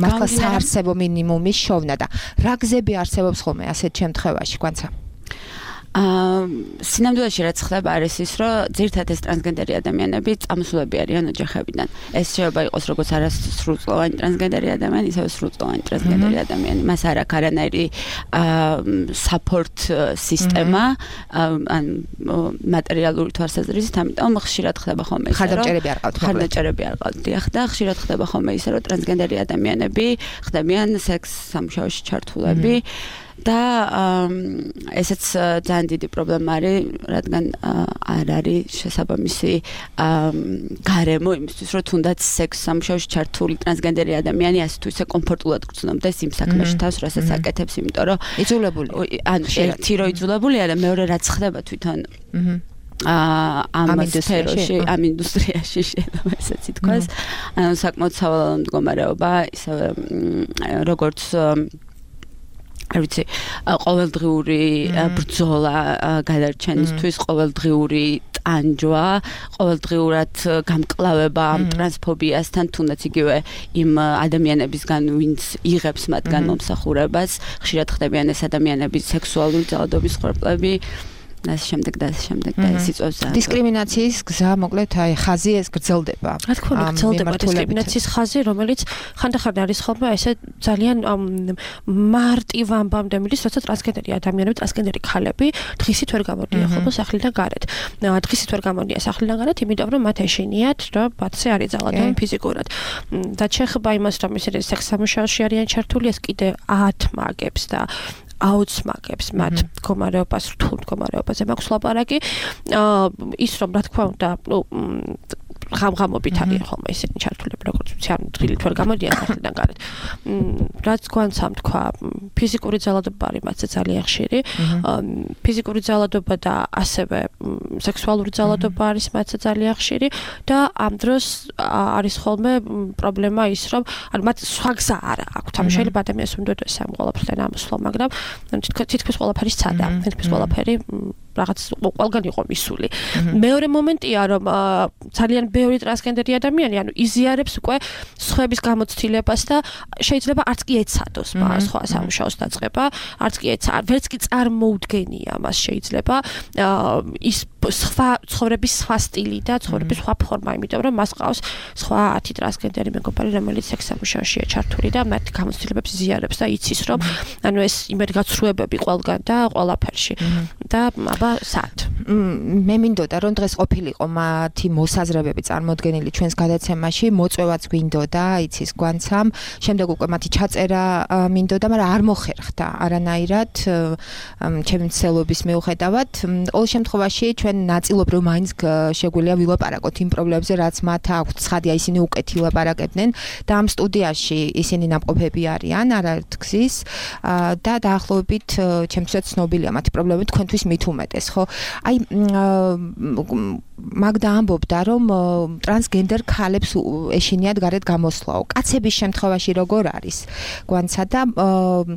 მართლა საარსებო მინიმუმის შოვნა და რა გზები არსებობს ხოლმე ასეთ შემთხვევაში, გვანცა? სინამდვილეში რაც ხდება არის ის, რომ ძირითადად ეს ტრანსგენდერი ადამიანები წამოსულები არიან ოჯახებიდან. ეს შეიძლება იყოს როგორც არასრულწლოვანი ტრანსგენდერი ადამიანი, ისევე სრულწლოვანი ტრანსგენდერი ადამიანი. მას არ აქვს არანაირი support სისტემა, ან მატერიალური თვალსაზრისით, ამიტომ ხშირად ხდება ხოლმე ისე, რომ ხარდაჭერები არ ყავთ. ხარდაჭერები არ ყავთ, დიახ, და ხშირად ხდება ხოლმე ისე, რომ ტრანსგენდერი ადამიანები ხდებიან სექს სამუშაოში ჩართულები. და ესეც ძალიან დიდი პრობლემა არის, რადგან არ არის შესაბამისი გარემო იმისთვის, რომ თუნდაც სექს სამუშაოში ჩართული ტრანსგენდერი ადამიანი ასე თუ ისე კომფორტულად გრძნობდეს იმ საქმეში თავს, რასაც აკეთებს, იმიტომ რომ იძულებული. ანუ ერთი რო იძულებულია და მეორე რაც ხდება თვითონ ამ სფეროში, ამ ინდუსტრიაში შეიძლება ესეც ითქვას. ანუ საკმაოდ სავალალო მდგომარეობა, ისევე როგორც არ ვიცი, ყოველდღიური ბრძოლა გადარჩენისთვის, ყოველდღიური ტანჯვა, ყოველდღიურად გამკლავება ამ ტრანსფობიასთან, თუნდაც იგივე იმ ადამიანებისგან, ვინც იღებს მათგან მომსახურებას, ხშირად ხდებიან ეს ადამიანები სექსუალური ძალადობის ხვერპლები. და შემდეგ და ეს იწვევს დისკრიმინაციის გზა, მოკლედ, აი ხაზი ეს გრძელდება. რა თქმა უნდა, გრძელდება დისკრიმინაციის ხაზი, რომელიც ხანდახან არის ხოლმე ესე ძალიან მარტივ ამბამდე მიდის, როცა ტრანსგენდერი ადამიანები, ტრანსგენდერი ქალები დღისით ვერ გამოდიან ხოლმე სახლიდან გარეთ. დღისით ვერ გამოდიან სახლიდან გარეთ, იმიტომ რომ მათ ეშინიათ, რომ მათზე არის ძალადობი ფიზიკურად. და შეიძლება იმას, რომ ისინი სექს სამუშაოში არიან ჩართული, ეს კიდე ათმაგებს და აუცმაგებს მათ მდგომარეობას, რთულ მდგომარეობაზე მაქვს ლაპარაკი. ის რომ რა თქმა უნდა, ღამღამობით არიან ხოლმე ისინი ჩართულები, როგორც ვიცი, ან დღილით ვერ გამოდიან სახლიდან გარეთ. რაც გვანცამ თქვა, ფიზიკური ძალადობა არის მათზე ძალიან ხშირი. ფიზიკური ძალადობა და ასევე სექსუალური ძალადობა არის მათზე ძალიან ხშირი და ამ დროს არის ხოლმე პრობლემა ის, რომ ანუ მათ სხვა გზა არ აქვთ. ამ შეიძლება ადამიანს უნდოდეს ამ ყველაფერთან ამოსვლა, მაგრამ თითქმის ყველაფერი სცადა, თითქმის ყველაფერი რაღაც ყველგან იყო მისული. მეორე მომენტია, რომ ძალიან ბევრი ტრანსგენდერი ადამიანი, ანუ იზიარებს უკვე სხვების გამოცდილებას და შეიძლება არც კი ეცადოს სხვა სამუშაოს დაწყება, არც კი ვერც კი წარმოუდგენია მას შეიძლება ის სხვა ცხოვრების სხვა სტილი და ცხოვრების სხვა ფორმა, იმიტომ რომ მას ყავს სხვა 10 ტრანსგენდერი მეგობარი, რომელიც სექსსამუშაოშია ჩართული და მათ გამოცდილებებს იზიარებს და იცის, რომ ანუ ეს იმედგაცრუებები ყველგან და ყველაფერში. და აბა სად? მე მინდოდა რომ დღეს ყოფილიყო მათი მოსაზრებები წარმოდგენილი ჩვენს გადაცემაში, მოწვევაც გვინდოდა, იცის გვანცამ, შემდეგ უკვე მათი ჩაწერა მინდოდა, მაგრამ არ მოხერხდა არანაირად ჩემი მცდელობის მიუხედავად. ყოველ შემთხვევაში ჩვენ ნაწილობრივ მაინც შეგვიძლია ვილაპარაკოთ იმ პრობლემებზე, რაც მათ აქვთ. ცხადია, ისინი უკეთ ილაპარაკებდნენ და ამ სტუდიაში ისინი ნამყოფები არიან, არაერთგზის და დაახლოებით ჩემთვისაც ცნობილია მათი პრობლემები, თქვენთვის მით უმეტეს, ხო? აი მაგდა ამბობდა, რომ ტრანსგენდერ ქალებს ეშინიათ გარეთ გამოსვლაო. კაცების შემთხვევაში როგორ არის? გვანცა და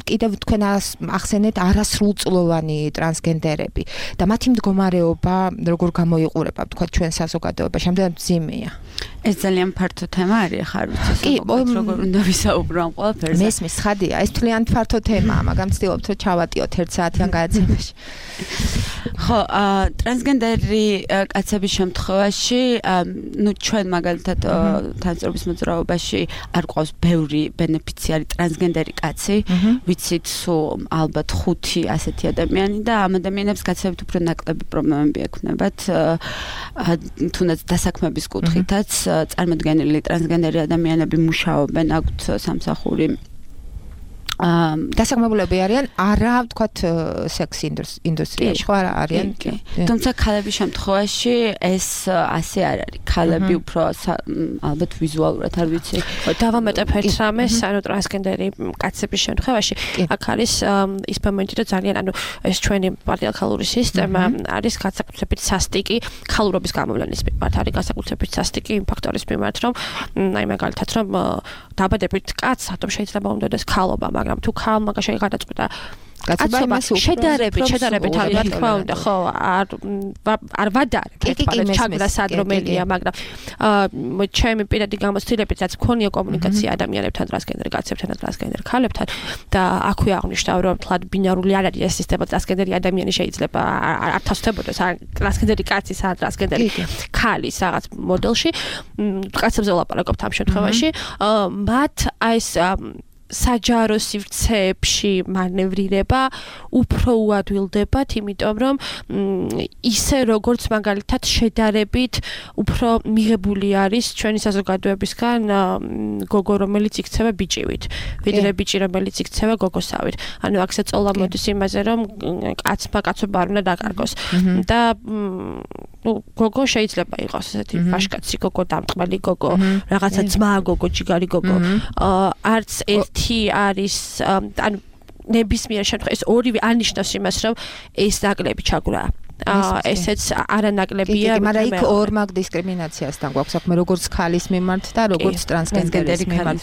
კიდევ თქვენ ახსენეთ არასრულწლოვანი ტრანსგენდერები და მათი მდგომარეობა როგორ გამოიყურება, თქვა ჩვენ საზოგადოებაში, ამდენად მძიმეა. ეს ძალიან ფართო თემა არის, ხა არ ვიცი, როგორ უნდა ვისაუბრო ამ ყველაფერზე. მესმის, ხადია, ეს თლიანად ფართო თემაა, მაგრამ ვცდილობთ რომ ჩავატიოთ 1 საათიან გადაცემაში. ხო, ტრანსგენდერი კაცების შემთხვევაში, ნუ ჩვენ მაგალითად თანწრობის მოძრაობაში არ გვყავს ბევრი ბენეფიციარი ტრანსგენდერი კაცი, ვიცით სულ ალბათ 5 ასეთი ადამიანი და ამ ადამიანებს კაცებით უფრო ნაკლები პრობლემები ექნებათ, თუნდაც დასაქმების კუთხითაც წარმოდგენილი ტრანსგენდერი ადამიანები მუშაობენ, აქვთ სამსახური დასაქმებულები არიან არა ვთქვათ სექს ინდუსტრიაში ხო არიან თუმცა ქალების შემთხვევაში ეს ასე არ არის ქალები უფრო ალბათ ვიზუალურად არ ვიცი დავამეტებ ერთ რამეს ანუ ტრანსგენდერი კაცების შემთხვევაში აქ არის ის მომენტი რომ ძალიან ანუ ეს ჩვენი პატრიარქალური სისტემა არის განსაკუთრებით სასტიკი ქალურობის გამოვლენის მიმართ არის განსაკუთრებით სასტიკი იმ ფაქტორის მიმართ რომ აი მაგალითად რომ დაბადებით კაცს ატომ შეიძლება მომდოდეს ქალობა მაგრამ თუ ქალმა გადაწყვიტა კაცობა შედარებით ალბათ თქვა უნდა ხო არ ვადარებ ერთმანეთს ჩაგდა სად რომელია მაგრამ ჩემი პირადი გამოცდილებით რაც მქონია კომუნიკაცია ადამიანებთან ტრანსგენდერ კაცებთან და ტრანსგენდერ ქალებთან და აქვე აღნიშნავ რომ თლად ბინარული არ არის ეს სისტემა ტრანსგენდერი ადამიანი შეიძლება არ თავსდებოდეს ტრანსგენდერი კაცის ან ტრანსგენდერი ქალის რაღაც მოდელში კაცებზე ვლაპარაკობთ ამ შემთხვევაში მათ ეს საჯარო სივრცეებში მანევრირება უფრო უადვილდებათ, იმიტომ რომ ისე როგორც მაგალითად შედარებით უფრო მიღებული არის ჩვენი საზოგადოებისგან გოგო რომელიც იქცევა ბიჭივით, ვიდრე ბიჭი რომელიც იქცევა გოგოსავით. ანუ აქ შეწოლა მოდის იმაზე რომ კაცმა კაცობა არ უნდა დაკარგოს და გოგო შეიძლება იყოს ესეთი ფაშკაცი გოგო, დამტყმელი გოგო, რაღაცა ძმა გოგო, ჯიგარი გოგო. არც ერთი არის ანუ ნებისმიერ შემთხვევაში ეს ორივე ანიშნავს იმას რომ ეს ნაკლები ჩაგვრა ესეც არანაკლებია მაგრამ იქ ორმაგ დისკრიმინაციასთან გვაქვს საქმე როგორც ქალის მიმართ და როგორც ტრანსგენდერის მიმართ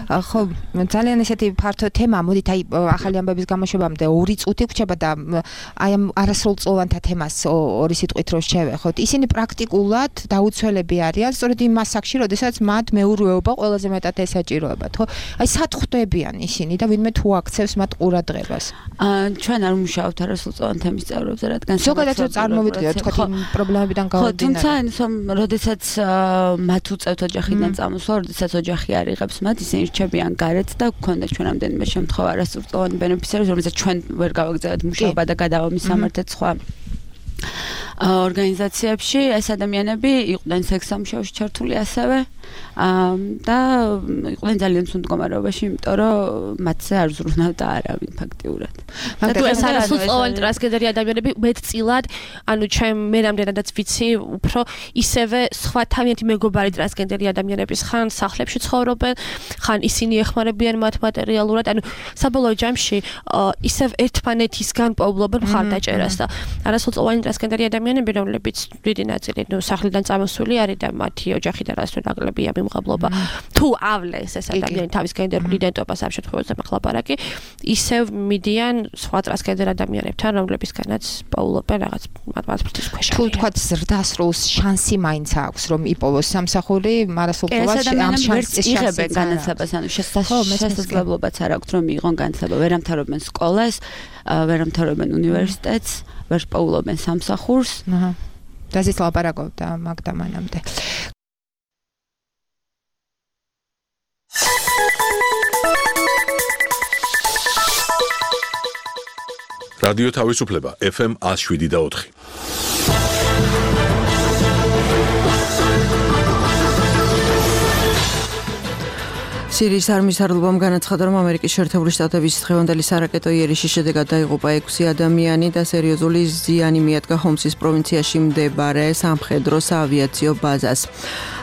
ხო ძალიან ესეთი ფართო თემაა მოდით აი ახალი ამბების გამოშვებამდე 2 წუთი გვჭირდება და აი ამ არასრულწლოვანთა თემას 2 სიტყვით რო შევეხოთ ისინი პრაქტიკულად დაუცველები არიან სწორედ იმ მასაკში როდესაც მათ მეურვეობა ყველაზე მეტად ესაჭიროებათ ხო აი სად ხვდებიან ისინი და ვინმე თუ აქცევს მათ ყურადღებას ჩვენ არ ვმუშაობთ არასრულწლოვან თემის წევრებზე რადგან ზოგადად რომ წარმოვიდგინოთ თქვათ იმ პრობლემებიდან გამომდინარე. თუმცა ისომ როდესაც მათ უწევთ ოჯახიდან წამოსვლა, როდესაც ოჯახი არ იღებს მათ, ისინი რჩებიან გარეთ და გქონდა ჩვენ ამდენიმე შემთხვევა არასრულწლოვანი ბენეფიციარი, რომელსაც ჩვენ ვერ გავაგზავნებთ მუშაობა და გადავამისამართეთ სხვა ორგანიზაციებში ეს ადამიანები იყვნენ სექსსამუშაოში ჩართული ასევე და იყვნენ ძალიან ცუდ მდგომარეობაში, იმიტომ რომ მათზე არ ზრუნავდა არავინ ფაქტიურად. მაგრამ ეს არასრულწლოვანი ტრანსგენდერი ადამიანები მეტწილად, ანუ მე რამდენადაც ვიცი, უფრო ისევე სხვა თავიანთი მეგობარი ტრანსგენდერი ადამიანების ხან სახლებში ცხოვრობენ, ხან ისინი ეხმარებიან მათ მატერიალურად, ანუ საბოლოო ჯამში ისევ ერთმანეთისგან პოულობენ მხარდაჭერას და არასრულწლოვანი ტრანსგენდერი ადამიანები, რომლებიც დიდი ნაწილი სახლიდან წამოსული არის და მათი ოჯახი და რას ნაკლებია მიმღებლობა. თუ ავლეს ეს ადამიანი თავის გენდერულ იდენტობას ამ შემთხვევაში მახლაპარაკი, ისევ მიდიან სხვა ტრანსგენდერ ადამიანებთან, რომლებისგანაც პოულობენ რაღაც მათფრთის ქვეშ. თუ თქვათ ზრდასრულს შანსი მაინც აქვს რომ იპოვოს სამსახური, მარასრულწლოვანში ამ შანსს იღებენ განათლებას, ანუ შესაძლებლობაც არ აქვს რომ მიიღონ განათლება, ვერ ამთავრებენ სკოლას, ვერ ამთავრებენ უნივერსიტეტს. ვერ პოულობენ სამსახურს. აჰა. დაზის ლაპარაკობდა მაგდა მანამდე. რადიო თავისუფლება FM 107.4. სირიის არმიის სარდლობამ განაცხადა, რომ ამერიკის შეერთებული შტატების დღევანდელი სარაკეტო იერიშის შედეგად დაიღუპა 6 ადამიანი და სერიოზული ზიანი მიადგა ჰომსის პროვინციაში მდებარე სამხედრო საავიაციო ბაზას.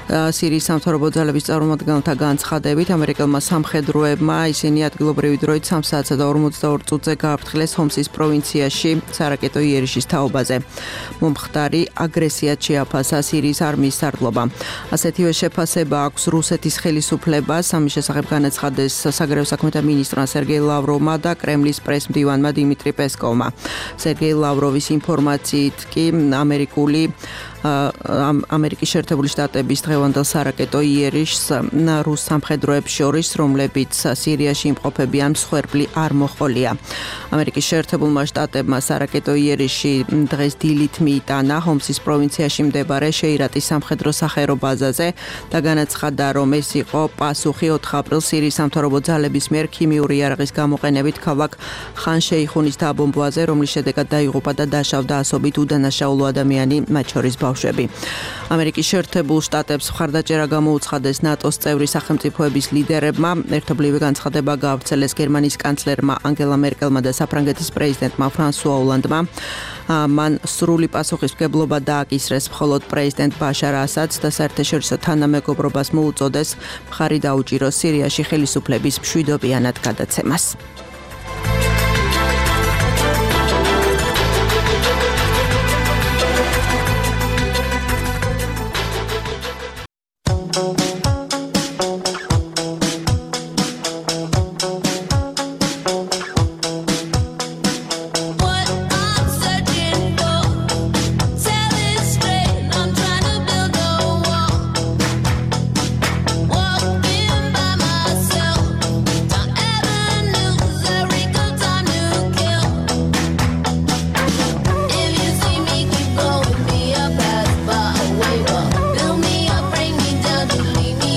სირიის სამთავრობო ძალების წარმომადგენელთა განცხადებით, ამერიკელმა სამხედროებმა ისინი ადგილობრივი დროით 3 საათსა და 42 წუთზე გააფრთხილეს ჰომსის პროვინციაში სარაკეტო იერიშის თაობაზე. მომხდარი აგრესიად შეაფასა სირიის არმიის სარდლობამ. ასეთივე შეფასება აქვს რუსეთის ხელისუფლებას. ამის შესახებ განაცხადეს საგარეო საქმეთა მინისტრმა სერგეი ლავროვმა და კრემლის პრეს-მდივანმა დიმიტრი პესკოვმა. სერგეი ლავროვის ინფორმაციით კი ამერიკის შეერთებული შტატების დღევანდელ სარაკეტო იერიშს რუს სამხედროებს შორის, რომლებიც სირიაში იმყოფებიან, მსხვერპლი არ მოჰყოლია. ამერიკის შეერთებულმა შტატებმა სარაკეტო იერიში დღეს დილით მიიტანა ჰომსის პროვინციაში მდებარე შეირატის სამხედრო სახაერო ბაზაზე და განაცხადა, რომ ეს იყო პასუხი 4 აპრილს სირიის სამთავრობო ძალების მიერ ქიმიური იარაღის გამოყენებით ქალაქ ხან შეიხუნის დაბომბვაზე, რომლის შედეგად დაიღუპა და დაშავდა ასობით უდანაშაულო ადამიანი, მათ შორის ბავშვები. ამერიკის შეერთებულ შტატებს მხარდაჭერა გამოუცხადეს ნატოს წევრი სახელმწიფოების ლიდერებმა. ერთობლივი განცხადება გაავრცელეს გერმანიის კანცლერმა ანგელა მერკელმა და საფრანგეთის პრეზიდენტმა ფრანსუა ოლანდმა. მან სრული პასუხისმგებლობა დააკისრეს მხოლოდ პრეზიდენტ ბაშარ ასადს და საერთაშორისო თანამეგობრობას მოუწოდეს მხარი დაუჭიროს სირიაში ხელისუფლების მშვიდობიანად გადაცემას. Build me up, bring me down to leave me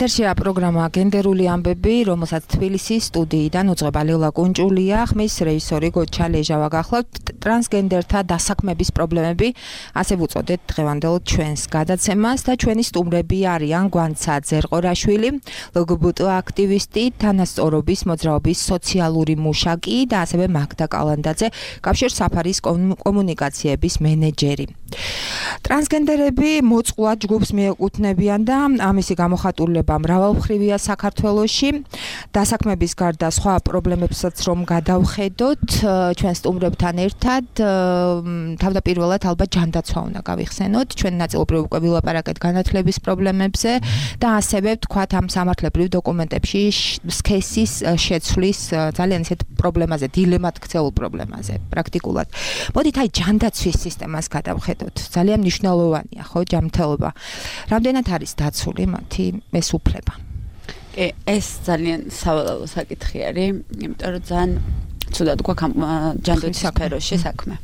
ეთერშია პროგრამა გენდერული ამბები, რომელსაც თბილისის სტუდიიდან უძღვება ლელა კუნჭულია, ხმის რეჟისორი გოჩა ლეჟავა გახლავთ. ტრანსგენდერთა დასაქმების პრობლემები, ასე ვუწოდეთ დღევანდელ ჩვენს გადაცემას და ჩვენი სტუმრები არიან გვანცა ძერყორაშვილი, ლგბტ აქტივისტი, თანასწორობის მოძრაობის სოციალური მუშაკი და ასევე მაგდა კალანდაძე, კავშირ საფარის კომუნიკაციების მენეჯერი. ტრანსგენდერები მოწყვლად ჯგუფს მიეკუთვნებიან და ამისი გამოხატულება მრავალმხრივია საქართველოში. დასაქმების გარდა სხვა პრობლემებსაც რომ გადავხედოთ, ჩვენ სტუმრებთან ერთად თავდაპირველად ალბათ ჯანდაცვა უნდა გავიხსენოთ. ჩვენ ნაწილობრივ უკვე ვილაპარაკეთ განათლების პრობლემებზე და ასევე ვთქვათ ამ სამართლებრივ დოკუმენტებში სქესის შეცვლის ძალიან ისეთ პრობლემაზე, დილემად ქცეულ პრობლემაზე პრაქტიკულად. მოდით აი ჯანდაცვის სისტემას გადავხედოთ. ძალიან მნიშვნელოვანია, ხო, ჯანმრთელობა. რამდენად არის დაცული მათი ეს უფლება? ეს ძალიან სავალალო საკითხი არის, იმიტომ რომ ძალიან ცუდად გვაქვს ჯანდაცვის სფეროში საქმე.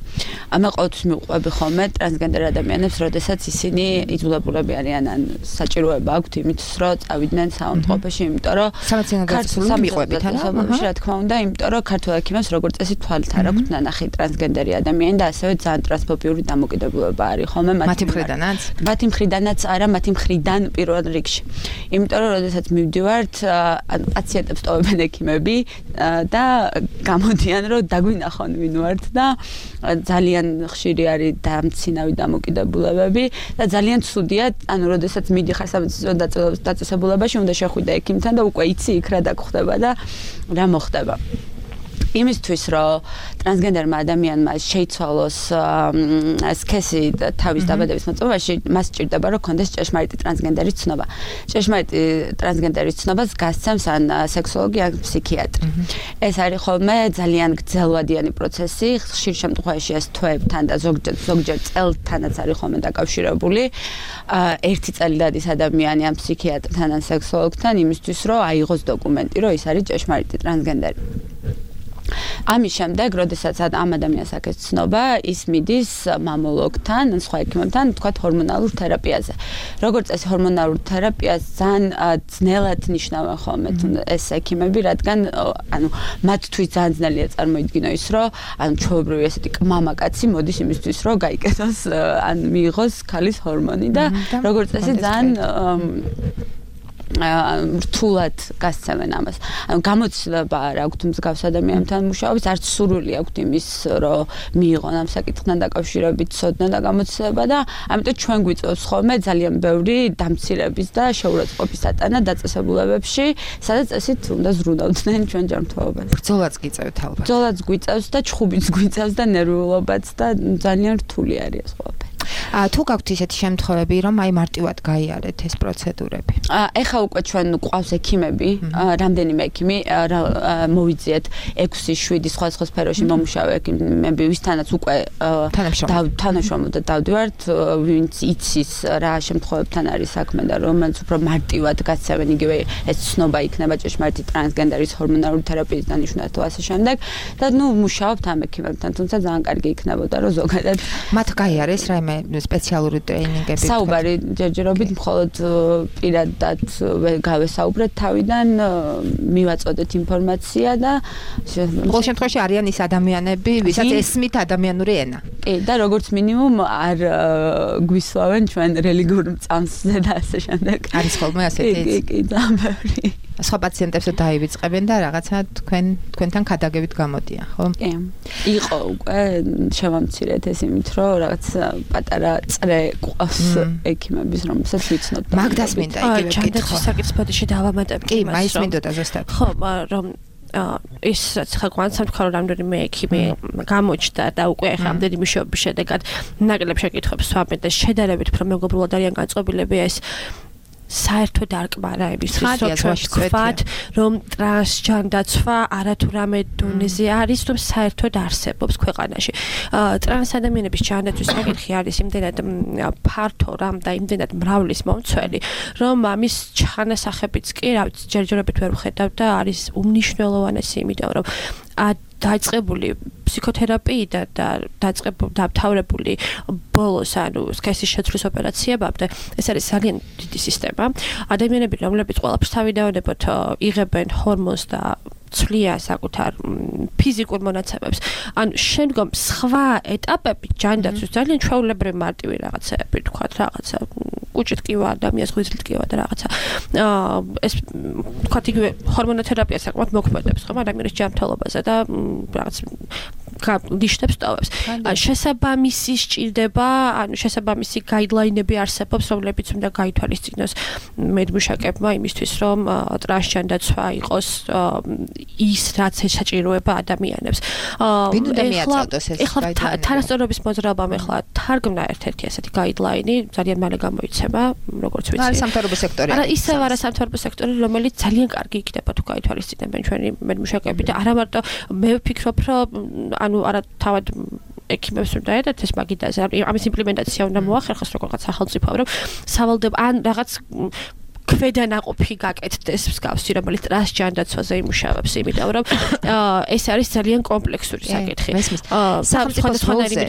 მე ყოველთვის მივყვები ხოლმე ტრანსგენდერ ადამიანებს, როდესაც ისინი იძულებულები არიან ან საჭიროება აქვთ იმით, რომ წავიდნენ საავადმყოფოში, იმიტომ რომ სამეცნიერო მიყვებით, რა თქმა უნდა, იმიტომ რომ ქართულ ექიმებს როგორც წესი თვალით არ აქვთ ნანახი ტრანსგენდერი ადამიანი და ასევე ძალიან ტრანსფობიური დამოკიდებულება არის ხოლმე მათი მხრიდანაც? მათი მხრიდანაც არა, მათი მხრიდან პირველ რიგში. იმიტომ რომ როდესაც მივდივართ, პაციენტებს ტოვებენ ექიმები და გამოდიან რომ დაგვინახონ ვინ ვართ და ძალიან ხშირი არის დამცინავი დამოკიდებულებები და ძალიან ცუდია, ანუ როდესაც მიდიხარ სამეცნიერო დაწესებულებაში, უნდა შეხვიდე ექიმთან და უკვე იცი იქ რა დაგხვდება და რა მოხდება. იმისთვის რომ ტრანსგენდერმა ადამიანმა შეიცვალოს სქესი თავის დაბადების მოწმობაში, მას სჭირდება რომ კონდეს ჭეშმარიტი ტრანსგენდერის ცნობა. ჭეშმარიტი ტრანსგენდერის ცნობას გასცემს ან სექსოლოგი ან ფსიქიატრი. ეს არის ხოლმე ძალიან გრძელვადიანი პროცესი, ხშირ შემთხვევაში ეს თვეებთან და ზოგჯერ წელთანაც არის ხოლმე დაკავშირებული. ერთი წელი დადის ადამიანი ან ფსიქიატრთან ან სექსოლოგთან იმისთვის რომ აიღოს დოკუმენტი, რომ ის არის ჭეშმარიტი ტრანსგენდერი. ამის შემდეგ, როდესაც ამ ადამიანს აქვს ცნობა, ის მიდის მამოლოგთან, ან სხვა ექიმებთან, თქვათ ჰორმონალურ თერაპიაზე. როგორც წესი ჰორმონალურ თერაპიას ძალიან ძნელად ნიშნავენ ხოლმე ეს ექიმები, რადგან ანუ მათთვის ძალიან ძნელია წარმოიდგინო ის, რომ ანუ ჩვეულებრივი ესეთი მამაკაცი მოდის იმისთვის, რომ გაიკეთოს ან მიიღოს ქალის ჰორმონი და როგორც წესი ძალიან რთულად გასცემენ ამას. ანუ გამოცდილება არ აქვთ მსგავს ადამიანთან მუშაობის, არც სურვილი აქვთ იმის, რომ მიიღონ ამ საკითხთან დაკავშირებით ცოდნა და გამოცდილება და ამიტომ ჩვენ გვიწევს ხოლმე ძალიან ბევრი დამცირების და შეურაცხყოფის ატანა დაწესებულებებში, სადაც ესეთ უნდა ზრუნავდნენ ჩვენ ჯანმრთელობას. ბრძოლაც გიწევთ ალბათ. ბრძოლაც გვიწევს და ჩხუბიც გვიწევს და ნერვიულობაც და ძალიან რთული არის ეს ყველაფერი. თუ გაქვთ ისეთი შემთხვევები, რომ აი მარტივად გაიარეთ ეს პროცედურები? ეხა უკვე ჩვენ ყავს ექიმები, რამდენიმე ექიმი მოვიძიეთ 6-7 სხვა სფეროში მომუშავე ექიმები, ვისთანაც უკვე თანამშრომლობთ და დავდივართ, ვინც იცის რა შემთხვევებთან არის საქმე და რომელიც უფრო მარტივად გასცემენ, იგივე ეს ცნობა იქნება ჭეშმარიტი ტრანსგენდერის ჰორმონალური თერაპიის დანიშვნა თუ ასე შემდეგ და მუშაობთ ამ ექიმებთან, თუმცა ძალიან კარგი იქნებოდა რომ ზოგადად მათ გაიარეს რაიმე სპეციალური ტრეინინგები. საუბარი ჯერჯერობით მხოლოდ პირადად გავესაუბრეთ თავიდან, მივაწოდეთ ინფორმაცია და ყოველ შემთხვევაში არიან ის ადამიანები, ვისაც ესმით ადამიანური ენა. კი, და როგორც მინიმუმ არ გვისვავენ ჩვენ რელიგიურ მწამსზე და ასე შემდეგ. არის ხოლმე ასეთი. კი, ძალიან ბევრი. სხვა პაციენტებს დაივიწყებენ და რაღაცა თქვენთან ქადაგებით გამოდიან, ხო? კი. იყო უკვე შევამცირეთ ეს იმით, რომ რაღაც პატარა წრე ყავს ექიმების, რომელსაც ვიცნობ. მაგდას მინდა იგივე ჯანდაცვის საკითხს ბოდიში დავამატებ. კი, მაინც მინდოდა ზუსტად. ხო, რომ ის ხა გვანცემთ რომ რამდენიმე ექიმი გამოჩნდა და უკვე ხა რამდენი მუშაობის შედეგად ნაკლებ შეკითხვებს ვამბობთ და შედარებით უფრო მეგობრულად არიან განწყობილები ეს საერთოდ არ კმარა იმისთვის, რომ თქვათ, რომ ტრანსჯანდაცვა არათუ რამე დონეზე არის, რომ საერთოდ არსებობს ქვეყანაში. ტრანს ადამიანების ჯანდაცვის საკითხი არის იმდენად ფართო რამ და იმდენად მრავლის მომცველი, რომ ამის ჩანასახებიც კი, რა ვიცი, ჯერჯერობით ვერ ვხედავ და არის უმნიშვნელოვანესი, იმიტომ რომ დაიწყებული ფსიქოთერაპიიდან და დამთავრებული ბოლოს სქესის შეცვლის ოპერაციებამდე ეს არის ძალიან დიდი სისტემა. ადამიანები, რომლებიც ყველაფერს თავიდანვე იღებენ ჰორმონს და ცვლიან საკუთარ ფიზიკურ მონაცემებს. შემდგომ სხვა ეტაპები ჯანდაცვის ძალიან ჩვეულებრივი მარტივი რაღაცები, თქვათ, რაღაცა კუჭით კივა, ადამიანს ღვიძლით კივა და რაღაცა. ეს თქვათ იგივე ჰორმონოთერაპია საკმაოდ მოქმედებს, ხო, ადამიანის ჯანმრთელობაზე და რაღაც ნიშნებს ტოვებს. შესაბამისი სჭირდება, შესაბამისი გაიდლაინები არსებობს, რომლებიც უნდა გაითვალისწინოს მედმუშაკებმა იმისთვის, რომ ტრანსჯანდაცვა იყოს ის რაც ესაჭიროება ადამიანებს. ვინ უნდა მიაწოდოს ეს გაიდლაინები? თანასწორობის მოძრაობამ ეხლა თარგმნა ერთ-ერთი ასეთი გაიდლაინი, ძალიან მალე გამოიცემა, როგორც ვიცი. არის სამთავრობო სექტორი. არა, ისევ არა სამთავრობო სექტორი, რომელიც ძალიან კარგი იქნება თუ გაითვალისწინებენ ჩვენი მედმუშაკები და არა მარტო მე ვფიქრობ, რომ არა თავად ექიმებს უნდა ედათ ეს მაგიდაზე ამის იმპლემენტაცია უნდა მოახერხოს როგორღაც სახელმწიფო რომ სავალდებო ან რაღაც ქვედანაყოფი გაკეთდეს მსგავსი რომელიც ტრანსჯანდაცვაზე იმუშავებს იმიტომ რომ ეს არის ძალიან კომპლექსური საკითხი სახელმწიფოს როლზე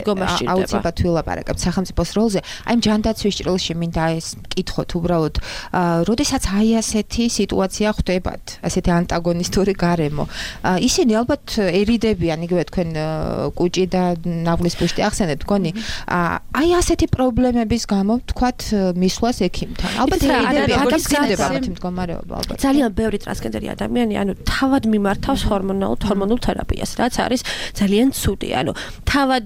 აუცილებლად ვილაპარაკებთ სახელმწიფოს როლზე აი ჯანდაცვის ჭრილში მინდა ეს კითხოთ უბრალოდ როდესაც აი ასეთი სიტუაცია ხდებათ ასეთი ანტაგონისტური გარემო ისინი ალბათ ერიდებიან იგივე თქვენ კუჭი და ნავლის პუშტი ახსენეთ თქვენი აი ასეთი პრობლემების გამო თქვათ მისვლას ექიმთან ალბათ ერიდებიან ძალიან ბევრი ტრანსგენდერი ადამიანი თავად მიმართავს ჰორმონულ თერაპიას რაც არის ძალიან ცუდი თავად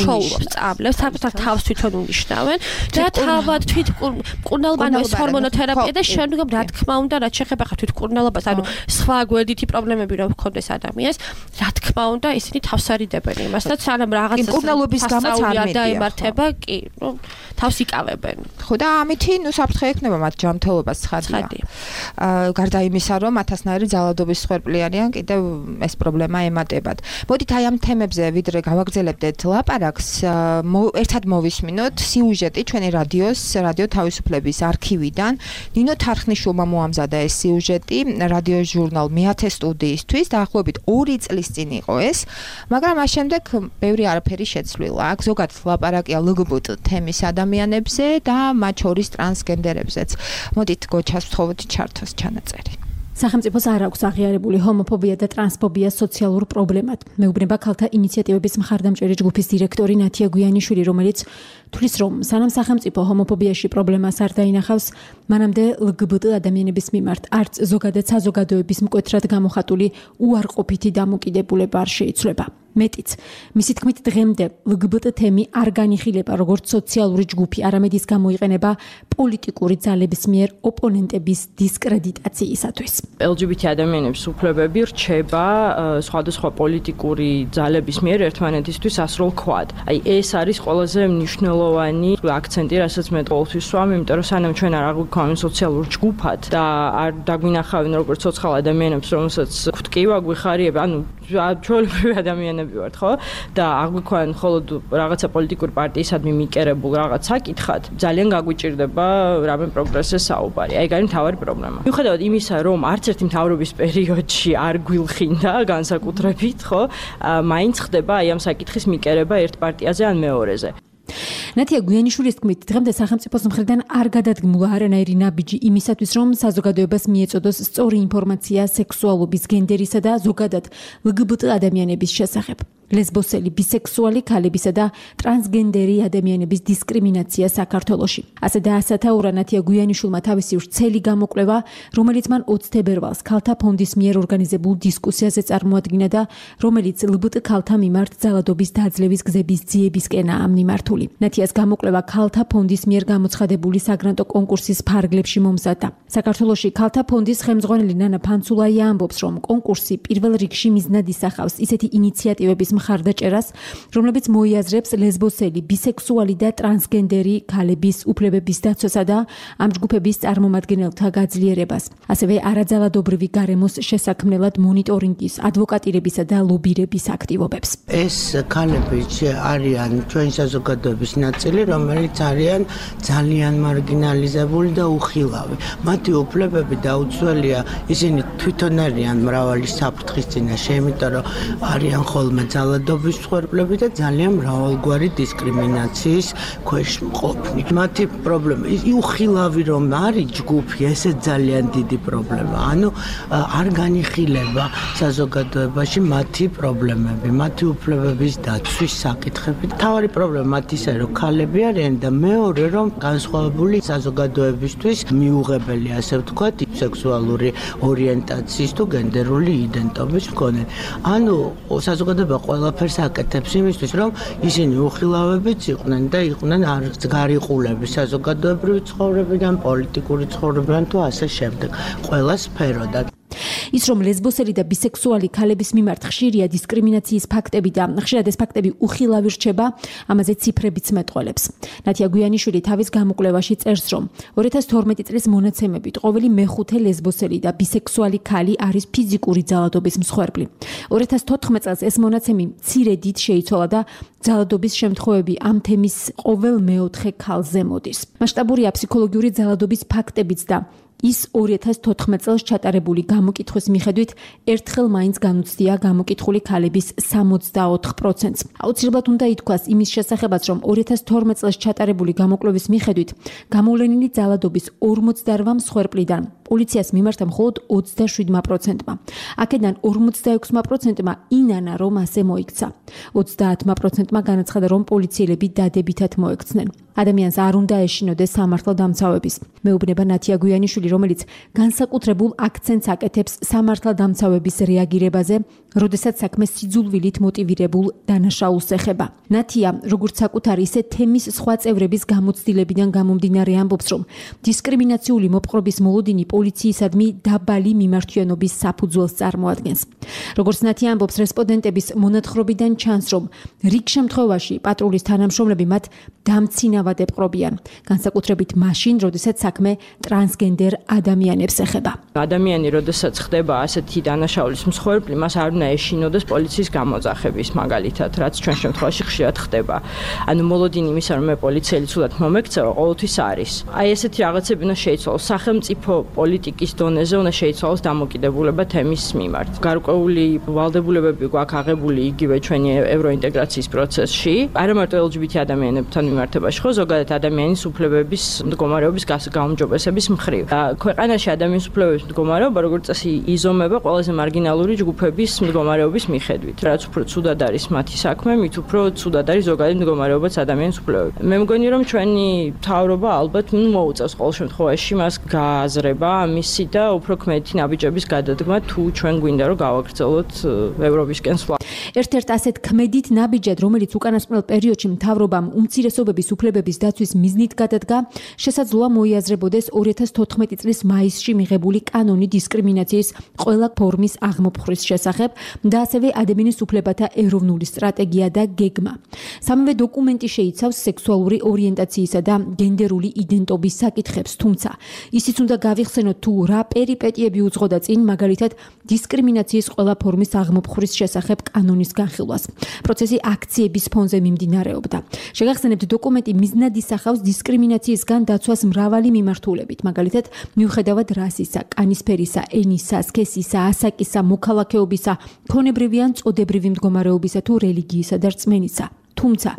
შოულობს წამლებს თავს თვითონ უნიშნავენ და თავად თვითმკურნალობა ეს ჰორმონოთერაპია და შემდგომ რა თქმა უნდა რაც შეეხება თვითმკურნალობას სხვა გვერდითი პრობლემები რომ ჰქონდეს ადამიანს რა თქმა უნდა ისინი თავს არიდებენ იმასაც სანამ რაღაც მკურნალობის გამოც არ დაემართება კი თავს იკავებენ ხო და ამითი საფრთხე ექნება მათ ჯანმრთელობას ცხადია. გარდა იმისა, რომ ათასნაირი ძალადობის მსხვერპლი არიან, კიდევ ეს პრობლემა ემატებათ. მოდით აი ამ თემებზე ვიდრე გავაგრძელებდეთ ლაპარაკს, ერთად მოვისმინოთ სიუჟეტი ჩვენი რადიო თავისუფლების არქივიდან. ნინო თარხნიშვილმა მოამზადა ეს სიუჟეტი რადიო ჟურნალ მე-10 სტუდიისთვის, დაახლოებით 2 წლის წინ იყო ეს, მაგრამ მას შემდეგ ბევრი არაფერი შეცვლილა. აქ ზოგადად ლაპარაკია LGBT თემის ადამიანებზე და მათ შორის ტრანსგენდერებზეც. მოდით გოჩას ვთხოვოთ ჩართოს ჩანაწერი. სახელმწიფოს არ აქვს აღიარებული ჰომოფობია და ტრანსფობია სოციალურ პრობლემად. მეუბნება ქალთა ინიციატივების მხარდამჭერი ჯგუფის დირექტორი ნათია გვიანიშვილი, რომელიც თვლის, რომ სანამ სახელმწიფო ჰომოფობიაში პრობლემას არ დაინახავს, მანამდე LGBT ადამიანების მიმართ არც ზოგადად საზოგადოების მკვეთრად გამოხატული უარყოფითი დამოკიდებულება არ შეიცვლება. მეტიც, მისი თქმით დღემდე LGBT თემი არ განიხილება როგორც სოციალური ჯგუფი, არამედ ის გამოიყენება პოლიტიკური ძალების მიერ ოპონენტების დისკრედიტაციისათვის. LGBT ადამიანების უფლებები რჩება სხვადასხვა პოლიტიკური ძალების მიერ ერთმანეთისთვის ასრულ ქვად. აი ეს არის ყველაზე მნიშვნელოვანი აქცენტი, რასაც მე ყოველთვის ვსვამ, იმიტომ რომ სანამ ჩვენ არ აღვიქვამენ სოციალურ ჯგუფად და არ დაგვინახავენ როგორც ცოცხალ ადამიანებს, რომელსაც გვტკივა, გვიხარიება, ჩვეულებრივი ადამიანები ვართ, ხო? და აღვიქვამენ მხოლოდ რაღაცა პოლიტიკური პარტიისადმი მიკერებულ რაღაც საკითხად, ძალიან გაგვიჭირდება რამე პროგრესზე საუბარი. აი, გარი მთავარი პრობლემა. მიუხედავად იმისა, რომ არც ერთი მთავრობის პერიოდში არ გვილხინდა განსაკუთრებით, ხო? მაინც ხდება აი ამ საკითხის მიკერება ერთ პარტიაზე ან მეორეზე. ნათია გვიანიშვილის თქმით, დღემდე სახელმწიფოს მხრიდან არ გადადგმულა არანაირი ნაბიჯი იმისათვის, რომ საზოგადოებას მიეწოდოს სწორი ინფორმაცია სექსუალობის, გენდერისა და ზოგადად LGBT ადამიანების შესახებ. ლესბოსელი, ბისექსუალი ქალებისა და ტრანსგენდერი ადამიანების დისკრიმინაცია საქართველოში. ასე დაასათაურა ნათია გვიანიშვილმა თავისი ვრცელი გამოკვლევა, რომელიც მან 20 თებერვალს ქალთა ფონდის მიერ ორგანიზებულ დისკუსიაზე წარმოადგინა და რომელიც LGBT ქალთა მიმართ ძალადობის დაძლევის გზების ძიებისკენაა მიმართული. ნათიას გამოკვლევა ქალთა ფონდის მიერ გამოცხადებული საგრანტო კონკურსის ფარგლებში მომზადდა. საქართველოში ქალთა ფონდის ხელმძღვანელი ნანა ფანცულაია ამბობს, რომ კონკურსი პირველ რიგში მიზნად ისახავს ისეთი ინიციატივების მხარდაჭერას, რომლებიც მოიაზრებს ლესბოსელი, ბისექსუალი და ტრანსგენდერი ქალების უფლებების დაცვასა და ამ ჯგუფების წარმომადგენელთა გაძლიერებას. ასევე არაძალადობრივი გარემოს შესაქმნელად მონიტორინგის, ადვოკატირებისა და ლობირების აქტივობებს. ეს ქალები არიან ჩვენი საზოგადოების ნაწილი, რომელიც არიან ძალიან მარგინალიზებული და უხილავი. მათი უფლებები დაუცველია, ისინი თვითონ არიან მრავალი საფრთხის წინაშე, იმიტომ რომ არიან ხოლმე ძალადობის მსხვერპლები და ძალიან მრავალგვარი დისკრიმინაციის ქვეშ მყოფნი. მათი პრობლემა უხილავი რომ არის ჯგუფი, ესეც ძალიან დიდი პრობლემა. ანუ არ განიხილება საზოგადოებაში მათი პრობლემები, მათი უფლებების დაცვის საკითხები. თავარი პრობლემა მათ ისე რომ ქალები არიან და მეორე რომ განსხვავებული საზოგადოებისთვის მიუღებელი, ასე ვთქვათ, სექსუალური ორიენტაციის თუ გენდერული იდენტობის მქონე. ანუ საზოგადოება ყველაფერს აკეთებს იმისთვის, რომ ისინი უხილავებიც იყვნენ და იყვნენ გარიყულები საზოგადოებრივი ცხოვრებიდან, პოლიტიკური ცხოვრებიდან თუ ასე შემდეგ. ყველა სფეროდან. ის რომ ლესბოსელი და ბისექსუალი ქალების მიმართ ხშირია დისკრიმინაციის ფაქტები და ხშირად ეს ფაქტები უხილავი რჩება, ამაზე ციფრებიც მეტყველებს. ნათია გვიანიშვილი თავის გამოკვლევაში წერს, რომ 2012 წლის მონაცემებით ყოველი მეხუთე ლესბოსელი და ბისექსუალი ქალი არის ფიზიკური ძალადობის მსხვერპლი. 2014 წელს ეს მონაცემი მცირე დიდ შეიცვალა და ძალადობის შემთხვევები ამ თემის ყოველ მეოთხე ქალზე მოდის. მასშტაბურია ფსიქოლოგიური ძალადობის ფაქტებიც და ის 2014 წელს ჩატარებული გამოკითხვის მიხედვით ერთხელ მაინც განუცდია გამოკითხული ქალების 64%-ს. აუცილებლად უნდა ითქვას იმის შესახებაც, რომ 2012 წელს ჩატარებული გამოკვლევის მიხედვით გამოვლენილი ძალადობის 48 მსხვერპლიდან პოლიციას მიმართა მხოლოდ 27%-მა. აქედან 46%-მა ინანა რომ ასე მოიქცა. 30%-მა განაცხადა, რომ პოლიციელები დადებითად მოექცნენ. ადამიანს არ უნდა ეშინოდეს სამართალდამცავების. მეუბნება ნათია გვიანიშვილი, რომელიც განსაკუთრებულ აქცენტს აკეთებს სამართალდამცავების რეაგირებაზე, როდესაც საქმე სიძულვილით მოტივირებულ დანაშაულს ეხება. ნათია, როგორც საკუთარი, ისე თემის სხვა წევრების გამოცდილებიდან გამომდინარე ამბობს, რომ დისკრიმინაციული მოპყრობის მოლოდინი პოლიციისადმი დაბალი მიმართვიანობის საფუძველს წარმოადგენს. როგორც ნათია ამბობს, რესპონდენტების მონათხრობიდან ჩანს, რომ რიგ შემთხვევაში პატრულის თანამშრომლები მათ დამცინავად ეპყრობიან, განსაკუთრებით მაშინ, როდესაც საქმე ტრანსგენდერ ადამიანებს ეხება. ადამიანი, როდესაც ხდება ასეთი დანაშაულის მსხვერპლი, მას არ უნდა ეშინოდეს პოლიციის გამოძახების, მაგალითად, რაც ჩვენ შემთხვევაში ხშირად ხდება. ანუ მოლოდინი იმისა, რომ მე პოლიციელი ცუდად მომექცევა, ყოველთვის არის. აი ესეთი რაღაცები უნდა შეიცვალოს სახელმწიფო პოლიტიკის დონეზე, უნდა შეიცვალოს დამოკიდებულება თემის მიმართ. გარკვეული ვალდებულებები გვაქვს აღებული იგივე ჩვენი ევროინტეგრაციის პროცესში, არა მარტო LGBT ადამიანებთან მიმართებაში, ხო, ზოგადად ადამიანის უფლებების მდგომარეობის გაუმჯობესების მხრივ. ქვეყანაში ადამიანის უფლებების მდგომარეობა, როგორც წესი, იზომება ყველაზე მარგინალური ჯგუფების მდგომარეობის მიხედვით. რაც უფრო ცუდად არის მათი საქმე, მით უფრო ცუდად არის ზოგადად მდგომარეობაც ადამიანის უფლებები. მე მგონი, რომ ჩვენი მთავრობა ალბათ მოუწევს ყოველ შემთხვევაში მას გააზრება ამისი და უფრო ქმედითი ნაბიჯების გადადგმა, თუ ჩვენ გვინდა რომ გავაგრძელოთ ევროპისკენ სვლა. ერთ-ერთ ასეთ ქმედით ნაბიჯად, რომელიც უკანასკნელ პერიოდში მთავრობამ უმცირესობების უფლებების დაცვის მიზნით გადადგა, შესაძლოა მოიაზრებოდეს 2014 წლის მაისში მიღებული კანონი დისკრიმინაციის ყველა ფორმის აღმოფხვრის შესახებ და ასევე ადამიანის უფლებათა ეროვნული სტრატეგია და გეგმა. სამივე დოკუმენტი შეიცავს სექსუალური ორიენტაციისა და გენდერული იდენტობის საკითხებს, თუმცა ისიც უნდა გავიხსენოთ, თუ რა პერიპეტიები უძღოდა წინ, მაგალითად დისკრიმინაციის ყველა ფორმის აღმოფხვრის შესახებ კანონის განხილვას. პროცესი აქციების ფონზე მიმდინარეობდა. შეგახსენებთ, დოკუმენტი მიზნად ისახავს დისკრიმინაციისგან დაცვას მრავალი მიმართულებით, მაგალითად მიუხედავად რასისა, კანისფერისა, ენისა, სქესისა, ასაკისა, მოქალაქეობისა, ქონებრივი ან წოდებრივი მდგომარეობისა თუ რელიგიისა და რწმენისა. თუმცა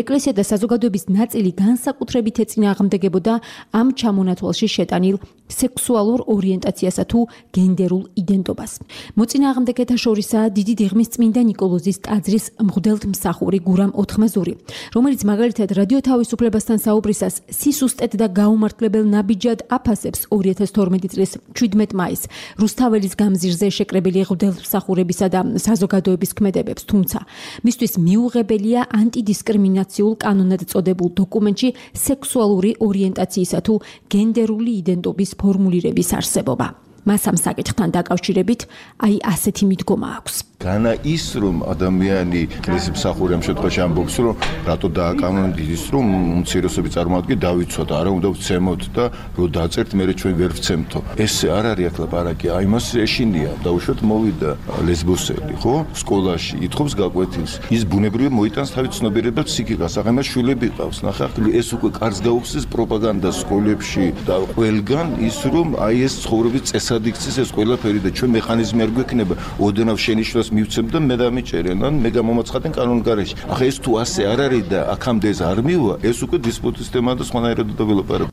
ეკლესია და საზოგადოების ნაწილი განსაკუთრებით ეწინააღმდეგებოდა ამ ჩამონათვალში შეტანილ სექსუალურ ორიენტაციასა თუ გენდერულ იდენტობას. მოწინააღმდეგეთა შორისაა დიდი დიღმის წმინდა ნიკოლოზის ტაძრის მღვდელთმსახური გურამ ოთხმეზური, რომელიც მაგალითად რადიო თავისუფლებასთან საუბრისას სისუსტედ და გაუმართლებელ ნაბიჯად აფასებს 2012 წლის 17 მაისს რუსთაველის გამზირზე შეკრებილი მღვდელთმსახურებისა და საზოგადოების ქმედებებს, თუმცა მისთვის მიუღებელია ანტიდისკრიმინაციულ კანონად წოდებულ დოკუმენტში სექსუალური ორიენტაციისა თუ გენდერული იდენტობის ფორმულირების არსებობა. მას ამ საკითხთან დაკავშირებით აი ასეთი მიდგომა აქვს. განა ის რომ ადამიანი კრიზის მსახური ამ შემთხვევაში ამბობს რომ რატო დააკანონით ის რომ უმცირესობი წარმოადგენს დავიცვათ არა უნდა ვცემოთ და რო დაწერთ მე ჩვენ ვერ ვცემთო ეს არ არის ახლა პარაკი აი მას ეშინია დაუშვათ მოვიდა ლესბოსელი ხო სკოლაში ითხოვს გაკვეთილს ის ბუნებრივად მოიტანს თავის ცნობიერებას ფსიქიკას ახლა მას შვილები ყავს ნახე ეს უკვე კარს გაუხსნის პროპაგანდა სკოლებში და ყველგან ის რომ აი ეს ცხოვრების წესად იქცეს ეს ყველაფერი და ჩვენ მექანიზმი არ გვექნება ოდნავ შენიშვნას მივცემ და მე დამიჭერენ ან მე გამომაცხადენ კანონგარეში. ახლა ეს თუ ასე არ არის და აქამდე ეს არ მივა, ეს უკვე დისპუტის თემაა და სხვანაირად დაველაპარაკ.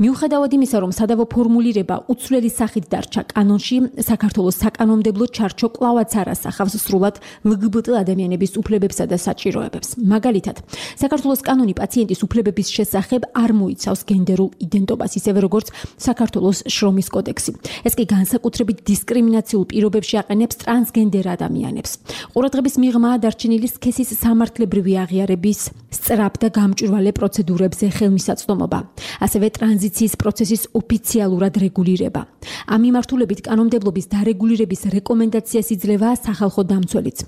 მიუხედავად იმისა, რომ სადავო ფორმულირება უცვლელი სახით დარჩა კანონში, საქართველოს საკანონმდებლო ჩარჩო კვლავაც არ ასახავს სრულად LGBT ადამიანების უფლებებსა და საჭიროებებს. მაგალითად, საქართველოს კანონი პაციენტის უფლებების შესახებ არ მოიცავს გენდერულ იდენტობას, ისევე როგორც საქართველოს შრომის კოდექსი. ეს კი განსაკუთრებით დისკრიმინაციულ პირობებში აყენებს ტრანსგენდერ ადამიანებს. ყურადღების მიღმაა დარჩენილი სქესის სამართლებრივი აღიარების სწრაფ და გამჭვირვალე პროცედურებზე ხელმისაწვდომობა. ასევე ტრანზიციის პროცესის ოფიციალურად რეგულირება. ამ მიმართულებით კანონმდებლობის დარეგულირების რეკომენდაციას იძლევა სახალხო დამცველიც.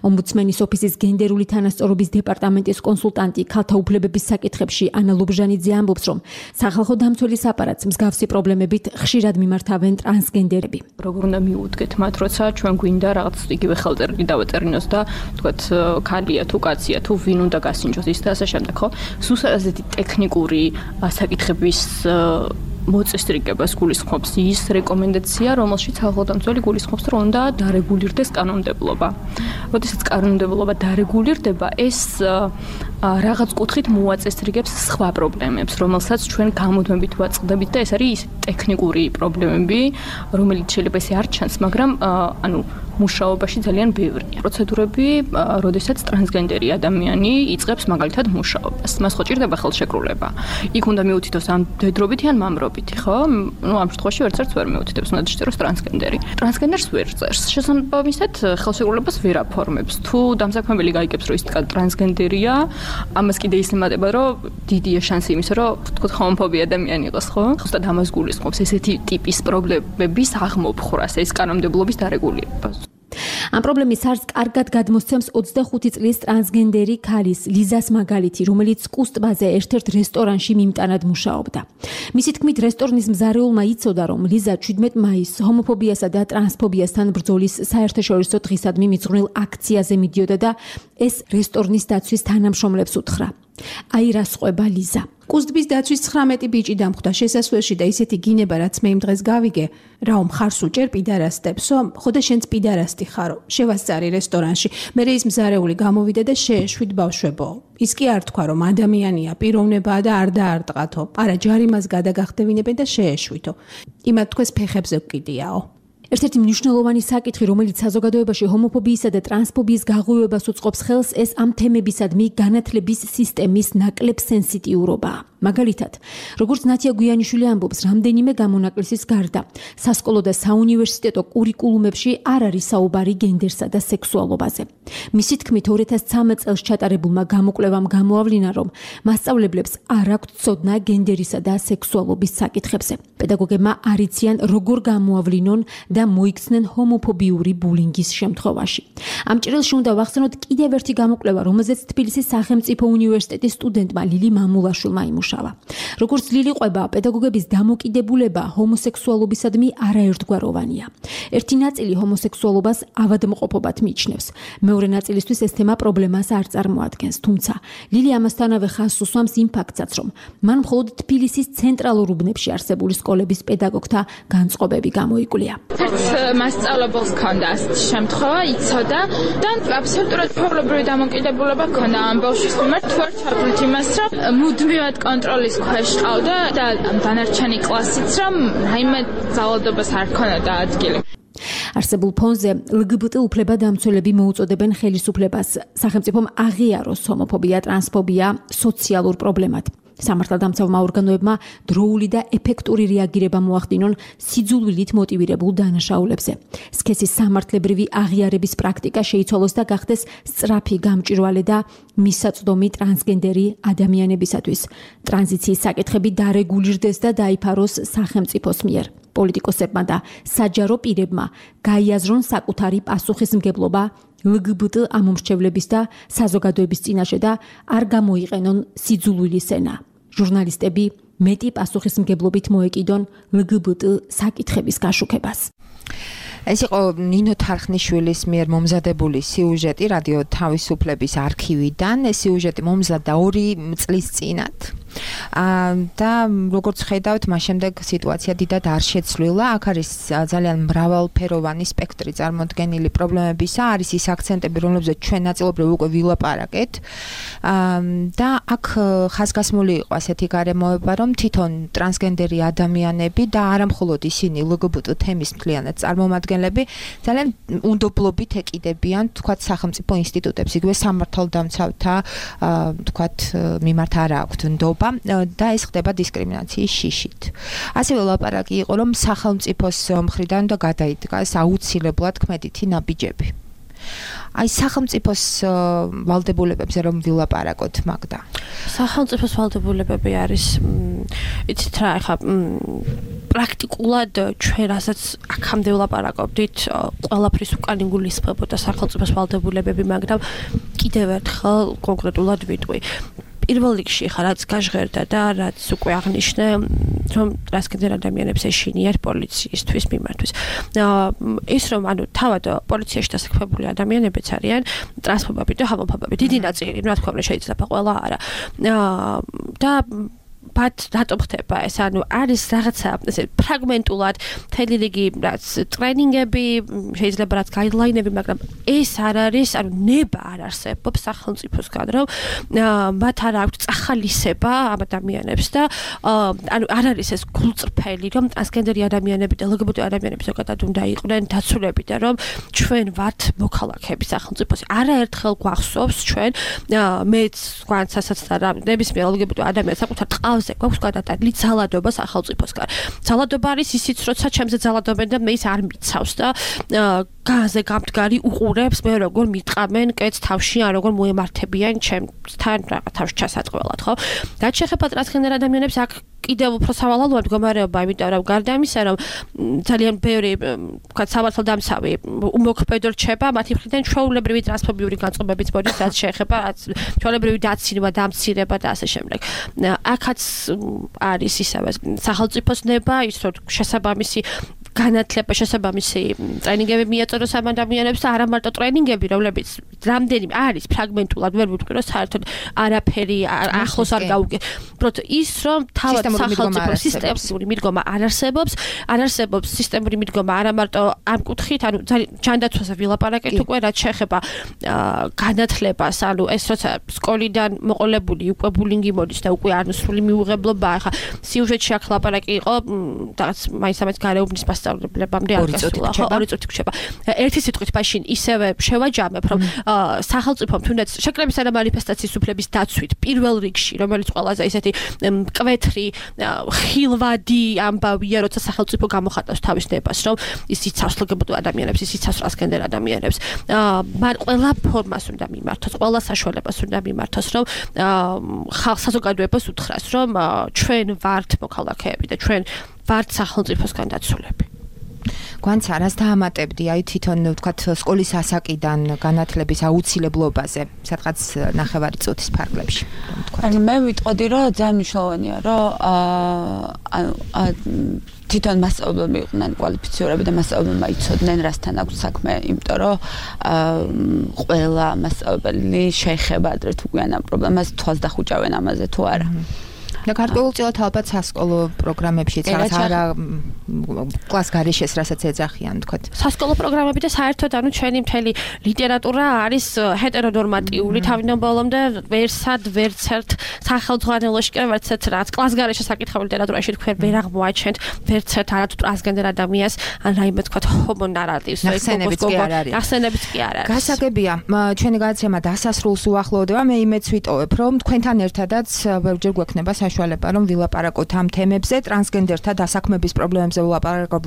ომბუდსმენის ოფისის გენდერული თანასწორობის დეპარტამენტის კონსულტანტი ქალთა უფლებების საკითხებში ანა ლობჟანიძე ამბობს, რომ სახალხო დამცველის აპარატს მსგავსი პრობლემებით ხშირად მიმართავენ ტრანსგენდერები. როგორ უნდა მიუდგეთ მათ, როცა ჩვენ გვინდა რაღაც იგივე ხელწერილი დავაწერინოს და თქვათ ქალია თუ კაცია თუ ვინ უნდა გასინჯოს ის და ასე შემდეგ, ხო? სულ ასეთი ტექნიკური საკითხების მოწესრიგებას გულისხმობს ის რეკომენდაცია, რომელშიც ხალხოდამცველი გულისხმობს, რომ უნდა დარეგულირდეს კანონმდებლობა. როდესაც კანონმდებლობა დარეგულირდება, ეს რაღაც კუთხით მოაწესრიგებს სხვა პრობლემებს, რომელსაც ჩვენ გამუდმებით ვაწყდებით და ეს არის ის ტექნიკური პრობლემები, რომელიც შეიძლება ესე არ ჩანს, მაგრამ ანუ მუშაობაში ძალიან ბევრია. პროცედურები, როდესაც ტრანსგენდერი ადამიანი იწყებს მაგალითად მუშაობას. მას ხო ჭირდება ხელშეკრულება. იქ უნდა მიუთითოს ამ დედრობითი ან მამრობითი, ხო? ნუ ამ შემთხვევაში ვერცერთს ვერ მიუთითებს, უნდა შეჭეროს ტრანსგენდერი. ტრანსგენდერს ვერ წერს. შესაბამისად, ხელშეკრულებას ვერ აფორმებს. თუ დამსაქმებელი გაიგებს, რომ ის ტრანსგენდერია, ამას კიდე ის ემატება, რომ დიდია შანსი იმისა, რომ თქო ჰომოფობი ადამიანი იყოს, ხო? ზუსტად ამას გულისხმობს ესეთი ტიპის პრობლემების აღმოფხვრას, ეს კანონმდებლობის დარეგულირებას. ამ პრობლემის არც კარგად გადმოსცემს 25 წლის ტრანსგენდერი ქალის ლიზას მაგალითი, რომელიც კუსტბაზე ერთ-ერთ რესტორანში მიმტანად მუშაობდა. მისი თქმით, რესტორნის მზარეულმა იცოდა, რომ ლიზა 17 მაისს ჰომოფობიასა და ტრანსფობიასთან ბრძოლის საერთაშორისო დღისადმი მიძღვნილ აქციაზე მიდიოდა და ეს რესტორნის დაცვის თანამშრომლებს უთხრა. აი რას ყვება ლიზა. კუსტბის დაცვის 19 ბიჭი დამხვდა შესასვლელში და ისეთი გინება, რაც მე იმ დღეს გავიგე, რაო მხარს უჭერ პიდარასტებსო, ხო და შენც პიდარასტი ხარო. შევასწარი რესტორანში. მე ის მზარეული გამოვიდა და შეეშვით ბავშვებო. ის კი არ თქვა, რომ ადამიანია, პიროვნებაა და არ დაარტყათო. არა, ჯარიმას გადაგახდევინებენ და შეეშვითო. იმათ თქვეს ფეხებზე ვკიდიაო. ერთ-ერთი მნიშვნელოვანი საკითხი, რომელიც საზოგადოებაში ჰომოფობიისა და ტრანსფობიის გაღვივებას უწყობს ხელს, ეს ამ თემებისადმი განათლების სისტემის ნაკლებ სენსიტიურობაა. მაგალითად, როგორც ნათია გვიანიშვილი ამბობს, რამდენიმე გამონაკლისის გარდა, სასკოლო და საუნივერსიტეტო კურიკულუმებში არ არის საუბარი გენდერსა და სექსუალობაზე. მისი თქმით, 2013 წელს ჩატარებულმა გამოკვლევამ გამოავლინა, რომ მასწავლებლებს არ აქვთ ცოდნა გენდერისა და სექსუალობის საკითხებზე. პედაგოგებმა არ იციან, როგორ გამოავლინონ და მოიქცნენ ჰომოფობიური ბულინგის შემთხვევაში. ამ ჭრილში უნდა ვახსენოთ კიდევ ერთი გამოკვლევა, რომელზეც თბილისის სახელმწიფო უნივერსიტეტის სტუდენტმა ლილი მამულაშვილმა იმუშავა. როგორც ლილი ყვება, პედაგოგების დამოკიდებულება ჰომოსექსუალობისადმი არაერთგვაროვანია. ერთი ნაწილი ჰომოსექსუალობას ავადმყოფობად მიიჩნევს. მეორე ნაწილისთვის ეს თემა პრობლემას არ წარმოადგენს, თუმცა ლილი ამასთანავე ხაზს უსვამს იმ ფაქტსაც, რომ მან მხოლოდ თბილისის ცენტრალურ უბნებში არსებული სკოლების პედაგოგთა განწყობები გამოიკვლია. მასწავლებელს ჰქონდა ასეთი შემთხვევა, იცოდა და აბსოლუტურად ფაულობრივი დამოკიდებულება ჰქონდა ამ ბავშვის მიმართ, თუ არ ჩაგვრით იმას, რომ მუდმივად კონტროლის ქვეშ ყავდა და დანარჩენი კლასიც, რომ რაიმე ძალადობას არ ჰქონდა ადგილი. არსებულ ფონზე LGBT უფლება დამცველები მოუწოდებენ ხელისუფლებას სახელმწიფომ აღიაროს ჰომოფობია, ტრანსფობია სოციალურ პრობლემად. სამართალდამცავმა ორგანოებმა დროული და ეფექტური რეაგირება მოახდინონ სიძულვილით მოტივირებულ დანაშაულებზე. სქესის სამართლებრივი აღიარების პრაქტიკა შეიცვალოს და გახდეს სწრაფი გამჭვირვალე და მისაწვდომი ტრანსგენდერი ადამიანებისათვის. ტრანზიციის საკითხები დარეგულირდეს და დაიფაროს სახელმწიფოს მიერ. პოლიტიკოსებმა და საჯარო პირებმა გაიაზრონ საკუთარი პასუხისმგებლობა LGBT ამომრჩევლების და საზოგადოების წინაშე და არ გამოიყენონ სიძულვილის ენა. ჟურნალისტები მეტი პასუხისმგებლობით მოეკიდონ LGBT საკითხების გაშუქებას. ეს იყო ნინო თარხნიშვილის მიერ მომზადებული სიუჟეტი რადიო თავისუფლების არქივიდან. ეს სიუჟეტი მომზადდა 2 წლის წინათ. და როგორც ხედავთ, მას შემდეგ სიტუაცია დიდად არ შეცვლილა. აქ არის ძალიან მრავალფეროვანი სპექტრი წარმოდგენილი პრობლემებისა, არის ის აქცენტები, რომლებზეც ჩვენ ნაწილობრივ უკვე ვილაპარაკეთ. და აქ ხაზგასმული იყო ასეთი გარემოება, რომ თვითონ ტრანსგენდერი ადამიანები და არა მხოლოდ ისინი LGBT თემის მთლიანად წარმომადგენლები ძალიან უნდობლობით ეკიდებიან, თქვათ, სახელმწიფო ინსტიტუტებს, იგივე სამართალდამცავთა, თქვათ, მიმართ არ აქვთ ნდობა და ეს ხდება დისკრიმინაციის შიშით. ასევე ლაპარაკი იყო, რომ სახელმწიფოს მხრიდან და გადაიდგას აუცილებლად ქმედითი ნაბიჯები. აი სახელმწიფოს ვალდებულებებზე რომ ვილაპარაკოთ, მაგდა. სახელმწიფოს ვალდებულებები არის, იცით რა, ეხლა პრაქტიკულად ჩვენ რასაც აქამდე ვლაპარაკობდით, ყველაფრის უკან იგულისხმებოდა სახელმწიფოს ვალდებულებები, მაგრამ კიდევ ერთხელ კონკრეტულად ვიტყვი. პირველ რიგში ხა რაც გაჟღერდა და რაც უკვე აღნიშნე, რომ ტრანსგენდერ ადამიანებს ეშინიათ პოლიციისთვის მიმართვის. ის რომ ანუ თავად პოლიციაში დასაქმებული ადამიანებიც არიან ტრანსფობები და ჰომოფობები. დიდი ნაწილი, რა თქმა უნდა, შეიძლება ყველა არა. და ბათ რატომ ხდება ეს? ანუ არის რაღაცა ესე ფრაგმენტულად მთელი რიგი რაც ტრენინგები, შეიძლება რაც გაიდლაინები, მაგრამ ეს არ არის, ანუ ნება არ არსებობს სახელმწიფოსგან, რომ მათ არ აქვს წახალისება ამ ადამიანებს და ანუ არ არის ეს გულწრფელი, რომ ტრანსგენდერი ადამიანები და LGBT ადამიანები ზოგადად უნდა იყვნენ დაცულები და რომ ჩვენ ვართ მოქალაქეები სახელმწიფოს. არაერთხელ გვახსოვს ჩვენ მეც გვანცასაც და ნებისმიერ LGBT ადამიანს საკუთარ ყავს გვაქვს გადატანილი ძალადობა სახელმწიფოსგან. ძალადობა არის ისიც, როცა ჩემზე ძალადობენ და მე ის არ მიცავს და განზე გამდგარი უყურებს მე როგორ მიტყამენ კეთს თავში, ან როგორ მოემართებიან ჩემთან რაღაც თავში ჩასატყველად, ხო? რაც შეეხება ტრანსგენდერ ადამიანებს, აქ კიდევ უფრო სავალალოა მდგომარეობა, იმიტომ რომ გარდა ამისა, რომ ძალიან ბევრი, ვთქვათ, სამართალდამცავი უმოქმედო რჩება, მათი მხრიდან ჩვეულებრივი ტრანსფობიური განწყობებიც მოდის, რაც შეეხება ჩვეულებრივი დაცინვა, დამცირება და ასე შემდეგ. აქაც არის ისევე სახელმწიფოს ნება, ის რომ შესაბამისი განათლება, შესაბამისი ტრენინგები მიაწოდოს ამ ადამიანებს და არა მარტო ტრენინგები, რომლებიც რამდენი არის ფრაგმენტულად, ვერ ვიტყვი რომ საერთოდ არაფერი ახლოს არ გაუგე. უბრალოდ ის რომ თავად სახელმწიფო სისტემური მიდგომა არ არსებობს სისტემური მიდგომა არა მარტო ამ კუთხით, ანუ ჯანდაცვაზე ვილაპარაკეთ უკვე, რაც შეეხება განათლებას, ანუ ეს როცა სკოლიდან მოყოლებული უკვე ბულინგი მოდის და უკვე არნსრული მიუღებლობა, ახლა სიუჟეტში აქ ლაპარაკი იყო, რაღაც მაინც გარეუბნის მასწავლებლებამდე არ გასულა, 2 წუთი გრჩება. ერთი სიტყვით მაშინ ისევე შევაჯამებ, რომ სახელმწიფომ თუნდაც შეკრებისა და მანიფესტაციის უფლების დაცვით პირველ რიგში, რომელიც ყველაზე ისეთი მკვეთრი ხილვადი ამბავია, როცა სახელმწიფო გამოხატავს თავის ნებას, რომ ის იცავს LGBT ადამიანებს, ის იცავს ტრანსგენდერ ადამიანებს. მან ყველა ფორმას უნდა მიმართოს, ყველა საშუალებას უნდა მიმართოს, რომ საზოგადოებას უთხრას, რომ ჩვენ ვართ მოქალაქეები და ჩვენ ვართ სახელმწიფოსგან დაცულები. გვანც არას დაამატებდი, აი თვითონ ვთქვათ სკოლის ასაკიდან განათლების აუცილებლობაზე, სადღაც 9 წუთის ფარგლებში. ანუ მე ვიტყოდი, რომ ძალიან მნიშვნელოვანია, რომ თვითონ მასწავლებლები იყვნენ კვალიფიცირებული და მასწავლებლებმა იცოდნენ, რასთან აქვს საქმე, იმიტომ რომ ყველა მასწავლებელი შეეხება ადრე თუ გვიან ამ პრობლემას, თვალს დახუჭავენ ამაზე თუ არა. და გარკვეულწილად ალბათ სასკოლო პროგრამებშიც რაღაც არა კლას გარეშეს, რასაც ეძახიან, თქვათ. სასკოლო პროგრამები და საერთოდ ანუ ჩვენი მთელი ლიტერატურა არის ჰეტერონორმატიული, თავიდან ბოლომდე ვერსად ვერცერთ სახელმძღვანელოში კი ვერცერთ რაც კლას გარეშე საკითხავ ლიტერატურაში თქვენ ვერ აღმოაჩენთ ვერცერთ არათუ ტრანსგენდერ ადამიანს ან რაიმე თქვათ ჰომო ნარატივს ახსენებიც კი არ არის. ახსენებიც კი არ არის. გასაგებია, ჩვენი გადაცემა დასასრულს უახლოვდება. მე იმედს ვიტოვებ, რომ თქვენთან ერთადაც ბევრჯერ გვექნება საშუალება, რომ ვილაპარაკოთ ამ თემებზე, ტრანსგენდერთა დასაქმების პრობლემებზე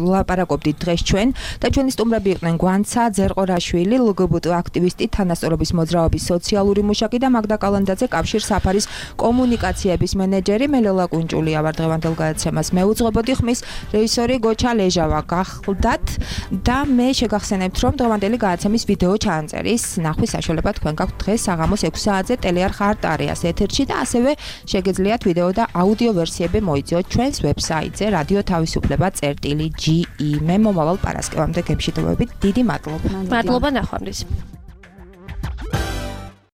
ვილაპარაკობდით დღეს ჩვენ და ჩვენი სტუმრები იყვნენ გვანცა ძერყორაშვილი, ლგბტ აქტივისტი, თანასწორობის მოძრაობის სოციალური მუშაკი და მაგდა კალანდაძე, კავშირ საფარის კომუნიკაციების მენეჯერი. მე ლელა კუნჭულია ვარ დღევანდელ გადაცემას მეუძღვებოდი, ხმის რეჟისორი გოჩა ლეჟავა გახლდათ და მე შეგახსენებთ, რომ დღევანდელი გადაცემის ვიდეო ჩაანწერის ნახვის საშუალება თქვენ გაქვთ დღეს საღამოს 6 საათზე ტელეარხ არტარიას ეთერში და ასევე შეგეძლიათ ვიდეო და აუდიო ვერსიები მოიწიოთ ჩვენს ვებსაიტზე რადიო თავისუფლება.ge. მე მომავალ პარასკევამდე გემშვიდობებით. დიდი მადლობა. მადლობა ნახვამდის.